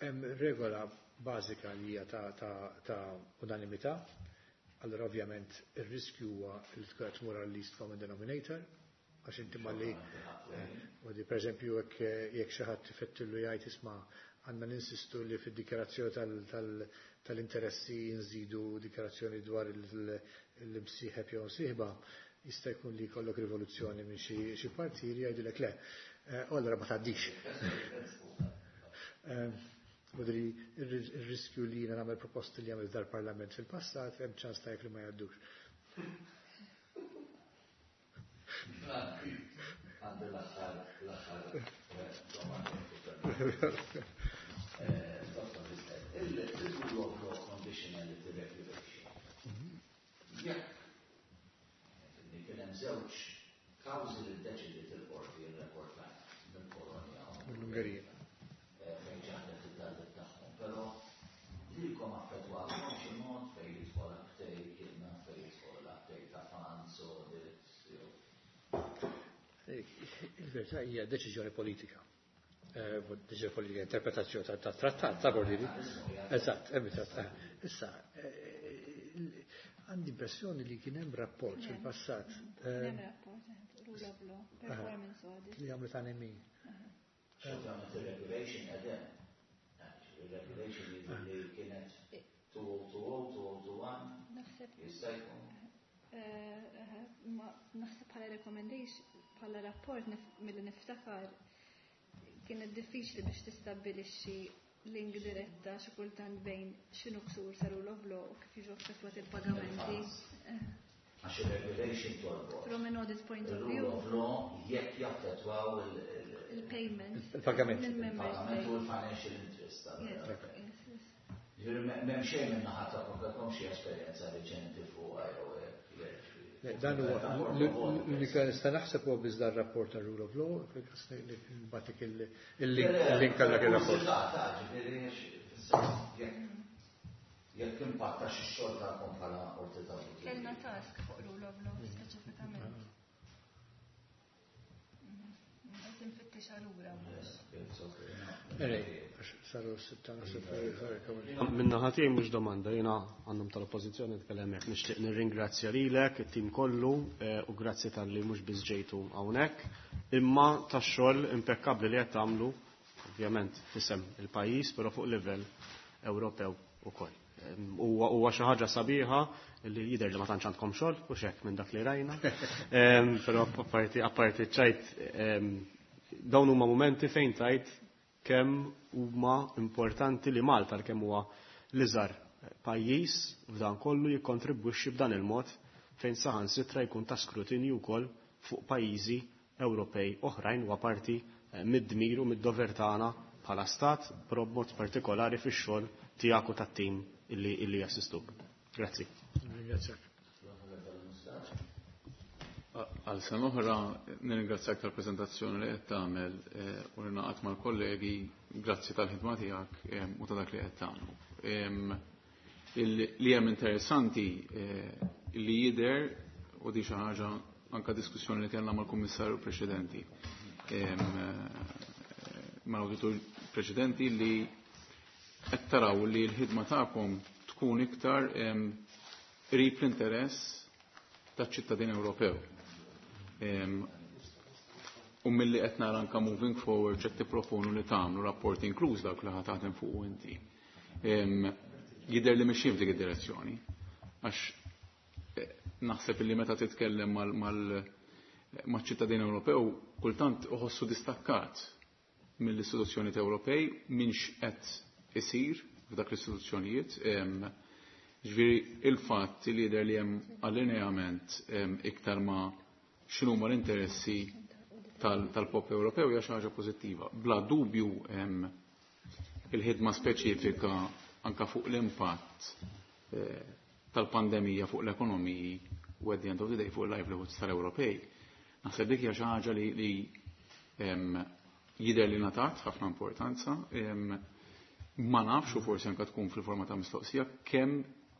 Hemm regola bażika li hija ta' unanimità. Allora ovvjament ir-riskju huwa li tkun qed tmur għal least common denominator, għax inti malli u di pereżempju jekk xi ħadd ifettillu jgħid, isma', għandna ninsistu li fid-dikjarazzjoni tal-interessi nżidu dikjarazzjoni dwar l-imsieħeb jew msieħba, jista' jkun li jkollok rivoluzzjoni minn xi partiri jgħidulek le. U allora ma tgħaddix. Mudri il-riskju li jiena nagħmel proposti li għamil dal-Parlament fil-passat, hemm ċans ta' li ma jgħaddux. Għandi l-aħħar domanda. Dr. Visser, il-rule of law conditionality regulation. Jekk kien hemm żewġ kawżi li ddeċidiet il-qorti rreportat mill-Polonja u mill-Ungerija. Fejn ċaħdet it-talbiet tagħhom, però lilkom affettwatkom xi mod fejn jidħol uptake, jiena fejn jidħol uptake ta' funds, audits, jew. Il-verità hija deċiżjoni politika. Deċiżjoni politika, interpretazzjoni ta' trattat, ta' bordiri. Eżatt, hemm trattat. Issa, għandi impressjoni li kien hemm rapport fil-passat. Kien hemm rapport, rule of law, performance audit. Li għamlet għan X'għamlet il-regulation għedem. Il-regulation li kienet 2020, 2021. Naħseb. Jista' jkun. Naħseb bħala recommendation, bħala rapport milli niftakar kienet diffiċli biex tistabbilixxi link diretta xi kultant bejn x'inhu ksur sa rule of law u kif jiġu affettwati il-pagamenti. Għax il-regulation torbot. From an audit point of Il-rule view. of law jekk jaffettwaw Il-payment. Il-pagament. Mill-member Il-pagament u state. l-financial interest. Yes. Ġifieri m'hemm xejn minn naħa tagħkom kellkom xi esperjenza riċenti fuq jew hekk. Le, dan huwa l-unika nista' naħseb huwa biss dan rapport ta' rule of law, nbatik il-link għal dak il-rapport. Jekk impatta xi xogħol tagħkom bħala qorti ta' Kellna task fuq rule of law speċifikament. Qed infittex allura mhux. Ej, għax saru 6. Minna ħatij mhux domanda, jiena għandhom tal-oppożizzjoni nitkellem hekk, nixtieq nirringrazzja lilek, it-tim kollu, u grazzi talli mhux biss ġejtu hawnhekk, imma tax-xogħol impekkabbli li qed tagħmlu, ovvjament fisem il-pajjiż, però fuq livell Ewropew ukoll. Huwa xi ħaġa sabiħa li jidher li ma tantx għandkom xogħol u x'hekk minn dak li rajna. Però apparti ċajt, dawn huma momenti fejn tajt kemm huma importanti li Malta kemm huwa l-iżgħar pajjiż f'dan kollu jikkontribwixxi b'dan il-mod fejn saħansitra jkun ta' skrutinju wkoll fuq pajjiżi Ewropej oħrajn u parti mid-dmir u mid-dover tagħna bħala stat, però b'mod partikolari fix-xogħol tiegħek u tat-tim illi jassistuk. Grazzi. Ringrazzjak. Għal sena oħra nirringrazzjak tal-preżentazzjoni li qed tagħmel u li naqgħod mal-kollegi, grazzi tal-ħidma tiegħek u ta' dak li qed tagħmlu. Li hemm interessanti li jidher u di xi ħaġa anka diskussjoni li kellna mal-kummissarju preċedenti, mal-awditur preċedenti, li qed taraw li l-ħidma tagħkom tkun iktar qrib l-interess taċ-ċittadin Ewropew. U milli qed nara anka moving forward x'qed tipproponu li tagħmlu rapport inkluż dawk li ħa taħdem fuq inti. Jidher li mixjin f'dik id-direzzjoni. Għax naħseb li meta titkellem maċ-ċittadin Ewropew kultant uħossu distakkat mill-istituzzjonijiet Ewropej minn x'qed isir f'dak l-istituzzjonijiet. Ġifieri il-fatt li jidher li hemm allineament iktar ma' x'inhuma l-interessi tal-poplu Ewropew hija xi ħaġa pożittiva. Bla dubju il-ħidma speċifika anka fuq l-impatt tal-pandemija fuq l-ekonomiji u at the end of the day fuq il-livelihoods tal-Ewropej. Naħseb dik hija xi ħaġa li jidher li ngħatat ħafna importanza. Ma nafx u forsi anke tkun fil-forma ta' mistoqsija kemm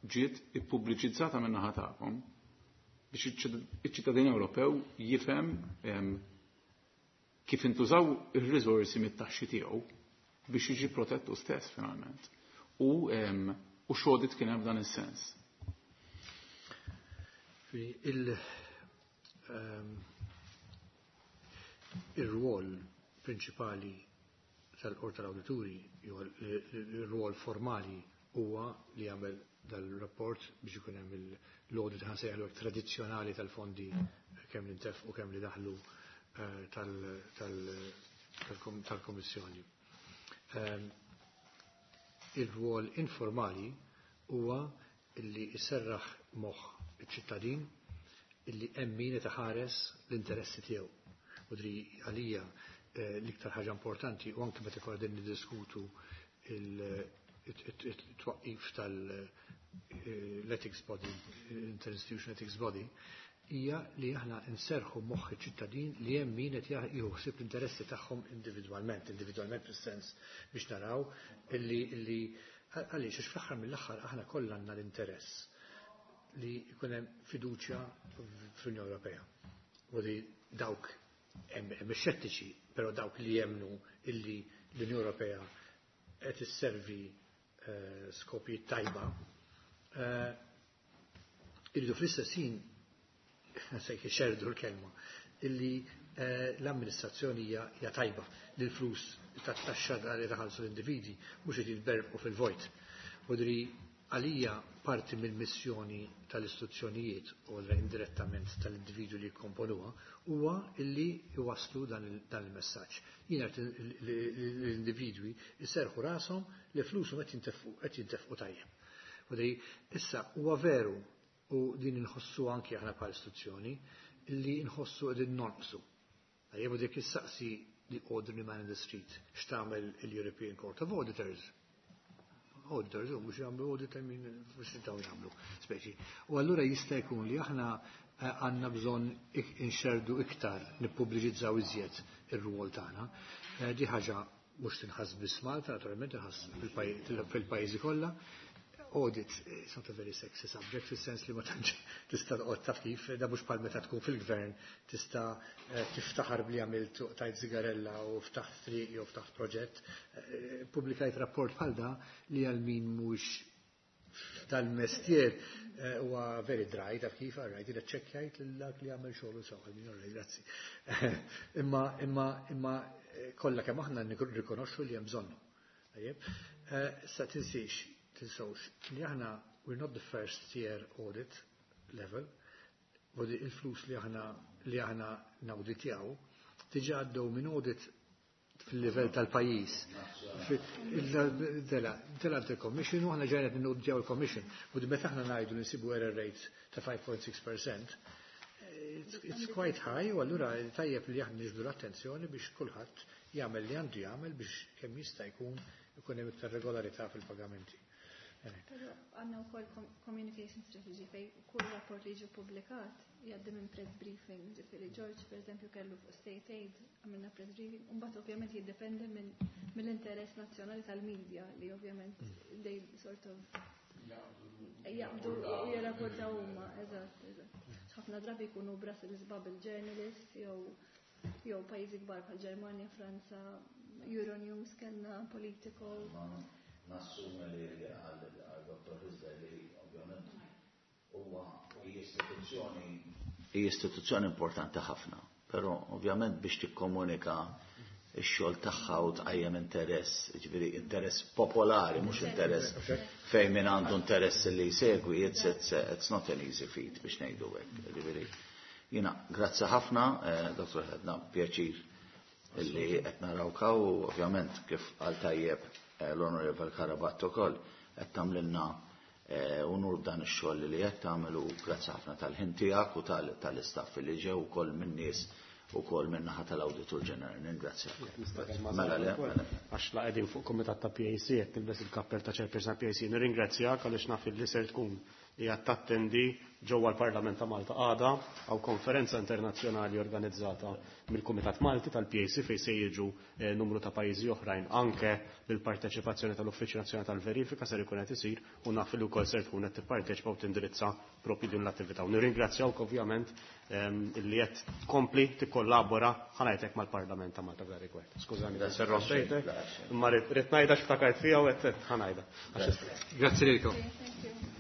ġiet ippubbliċizzata minn naħa tagħkom biex iċ-ċittadin Ewropew jifhem kif intużaw ir-riżorsi mit-taxxi tiegħu biex jiġi protettu stess finalment. U x'audit kien hemm f'dan is-sens. Il-rwol prinċipali tal-Qorti tal-Awdituri, jew il-rwol formali huwa li jagħmel dal-rapport biex ikun hemm l-audit ħa nsejħlu tradizzjonali tal-fondi kemm li ntefqu kemm li daħlu tal-Kommissjoni. Il-rwol informali huwa illi jserraħ moħħ iċ-ċittadin illi hemm min qed iħares l-interessi tiegħu. U dri għalija l-iktar ħaġa importanti u anke meta qegħdin niddiskutu il-twaqqif tal-ethics body, interinstitution ethics body, hija li aħna nserħu moħħ iċ-ċittadin li hemm min qed jieħu ħsieb l-interessi tagħhom individwalment, individwalment fis-sens biex naraw illi għaliex għax fl-aħħar mill-aħħar aħna kollha għandna l-interess li jkun hemm fiduċja fl-Unjoni Ewropea. U li dawk hemm xettiċi, però dawk li jemnu illi l-Unjoni Ewropea qed isservi skopijiet tajba, irridu fl-istess ħin se jxerdu l-kelma, illi l-amministrazzjoni hija tajba li l-flus tat-taxxa li taħallsu l-individwi mhux qed jitberbqu fil-vojt. U dri għalija parti mill-missjoni tal-istituzzjonijiet u indirettament tal-individwi li jikkomponuha huwa illi jwasslu dan il-messaġġ. Jiena l-individwi jserħu rashom li flushom qed jintefqu tajjeb. U dri issa huwa veru u din inħossu anki aħna bħala istituzzjoni illi nħossu qegħdin nonqsu. Tajjeb u dik issaqsi the ordinary man in the street x'tagħmel il-European Court of Auditors. Auditors, u mhux jagħmlu audit minn mhux dawn jagħmlu speċi. U allura jista' jkun li aħna għandna bżonn inxerdu iktar, nippubbliċizzaw iżjed ir-rwol tagħna. Di ħaġa mhux tinħass biss Malta, naturalment tinħass fil-pajjiżi kollha. Audit is not a very sexy subject, fis-sens li ma tantx tista' toqgħod taf kif, da mhux bħal meta tkun fil-gvern tista' tiftaħar bli għamilt tajt zigarella u ftaħt triq jew ftaħt proġett. Pubblikajt rapport bħal da li għal min mhux tal-mestier huwa very dry, taf kif, all right, ċekkjajt lil dak li għamel xogħol sew, għal min, all right, grazzi. Imma kollha kemm aħna nirrikonoxxu li hemm bżonnu. Tajjeb. Sa tinsiex, tinsewx li aħna we're not the first tier audit level, u il-flus li aħna nawditjaw diġà għaddew minn audit fil-livell tal-pajjiż. Tela il-Commission u aħna ġajna nawditjaw il-Commission. U meta aħna ngħidu li nsibu error rates ta' 5.6%, it's quite high u allura tajjeb li aħna niġbdu l-attenzjoni biex kulħadd jagħmel li għandu jagħmel biex kemm jista' jkun ikun hemm iktar regolarità fil-pagamenti. Però għandna wkoll communication strategy fej kull rapport li jiġi publikat jgħaddi minn press briefing, ġifieri George per eżempju kellu fuq state aid, għamilna press briefing, u mbagħad ovvjament jiddependi mill-interess nazzjonali tal-media li ovvjament they sort of jaqbdu u jirrapportaw huma, eżatt. Ħafna drabi jkunu Brussels Bubble journalists jew pajjiżi kbar bħal Ġermanja, Franza, Euronews kellna Politico. Nassumi li għal Dr. Hizler li ovvjament huwa istituzzjoni importanti ħafna, però ovvjament biex tikkomunika ix-xogħol tagħha u tqajjem interess, ġifieri interess popolari, mhux interess fejn min għandu interess li jsegwi, it's not an easy feat biex ngħidu hekk. Ġifieri jiena grazzi ħafna, Dr. Ħedna pjaċir illi qed narawk u ovvjament kif qal tajjeb l-Onorevole Karabatto ukoll qed tagħmlilna unur dan ix-xogħol li qed tagħmel u grazzi ħafna tal-ħin tiegħek u tal-istaff li ġew ukoll minn nies Ukoll min-naħa tal-Awditur Ġenerali. Ningrazzjak. Mela le, mela. Għax la qegħdin fuq kumitat ta' PAC qed tilbes il-kappell ta' chairperson PAC. Nirringrazzjak għaliex naf li ser tkun qiegħed tattendi ġewwa l-Parlament ta' Malta għada għaw konferenza internazzjonali organizzata mill-Kumitat Malti tal-PAC fejn se jiġu numru ta' pajjiżi oħrajn anke bil-parteċipazzjoni tal-Uffiċċju Nazzjonali tal-Verifika ser ikun qed isir u naf li wkoll ser tkun qed tipparteċipa u tindirizza propju din l-attività. U nirringrazzjawk ovvjament illi qed tkompli tikkollabora ħa ngħidlek mal-Parlament ta' Malta f'dan rigward. Skużani, ser rompejtek, imma rrid ngħidha x'ftakart fiha u qed ħa ngħidha. Grazzi lilkom. Thank you.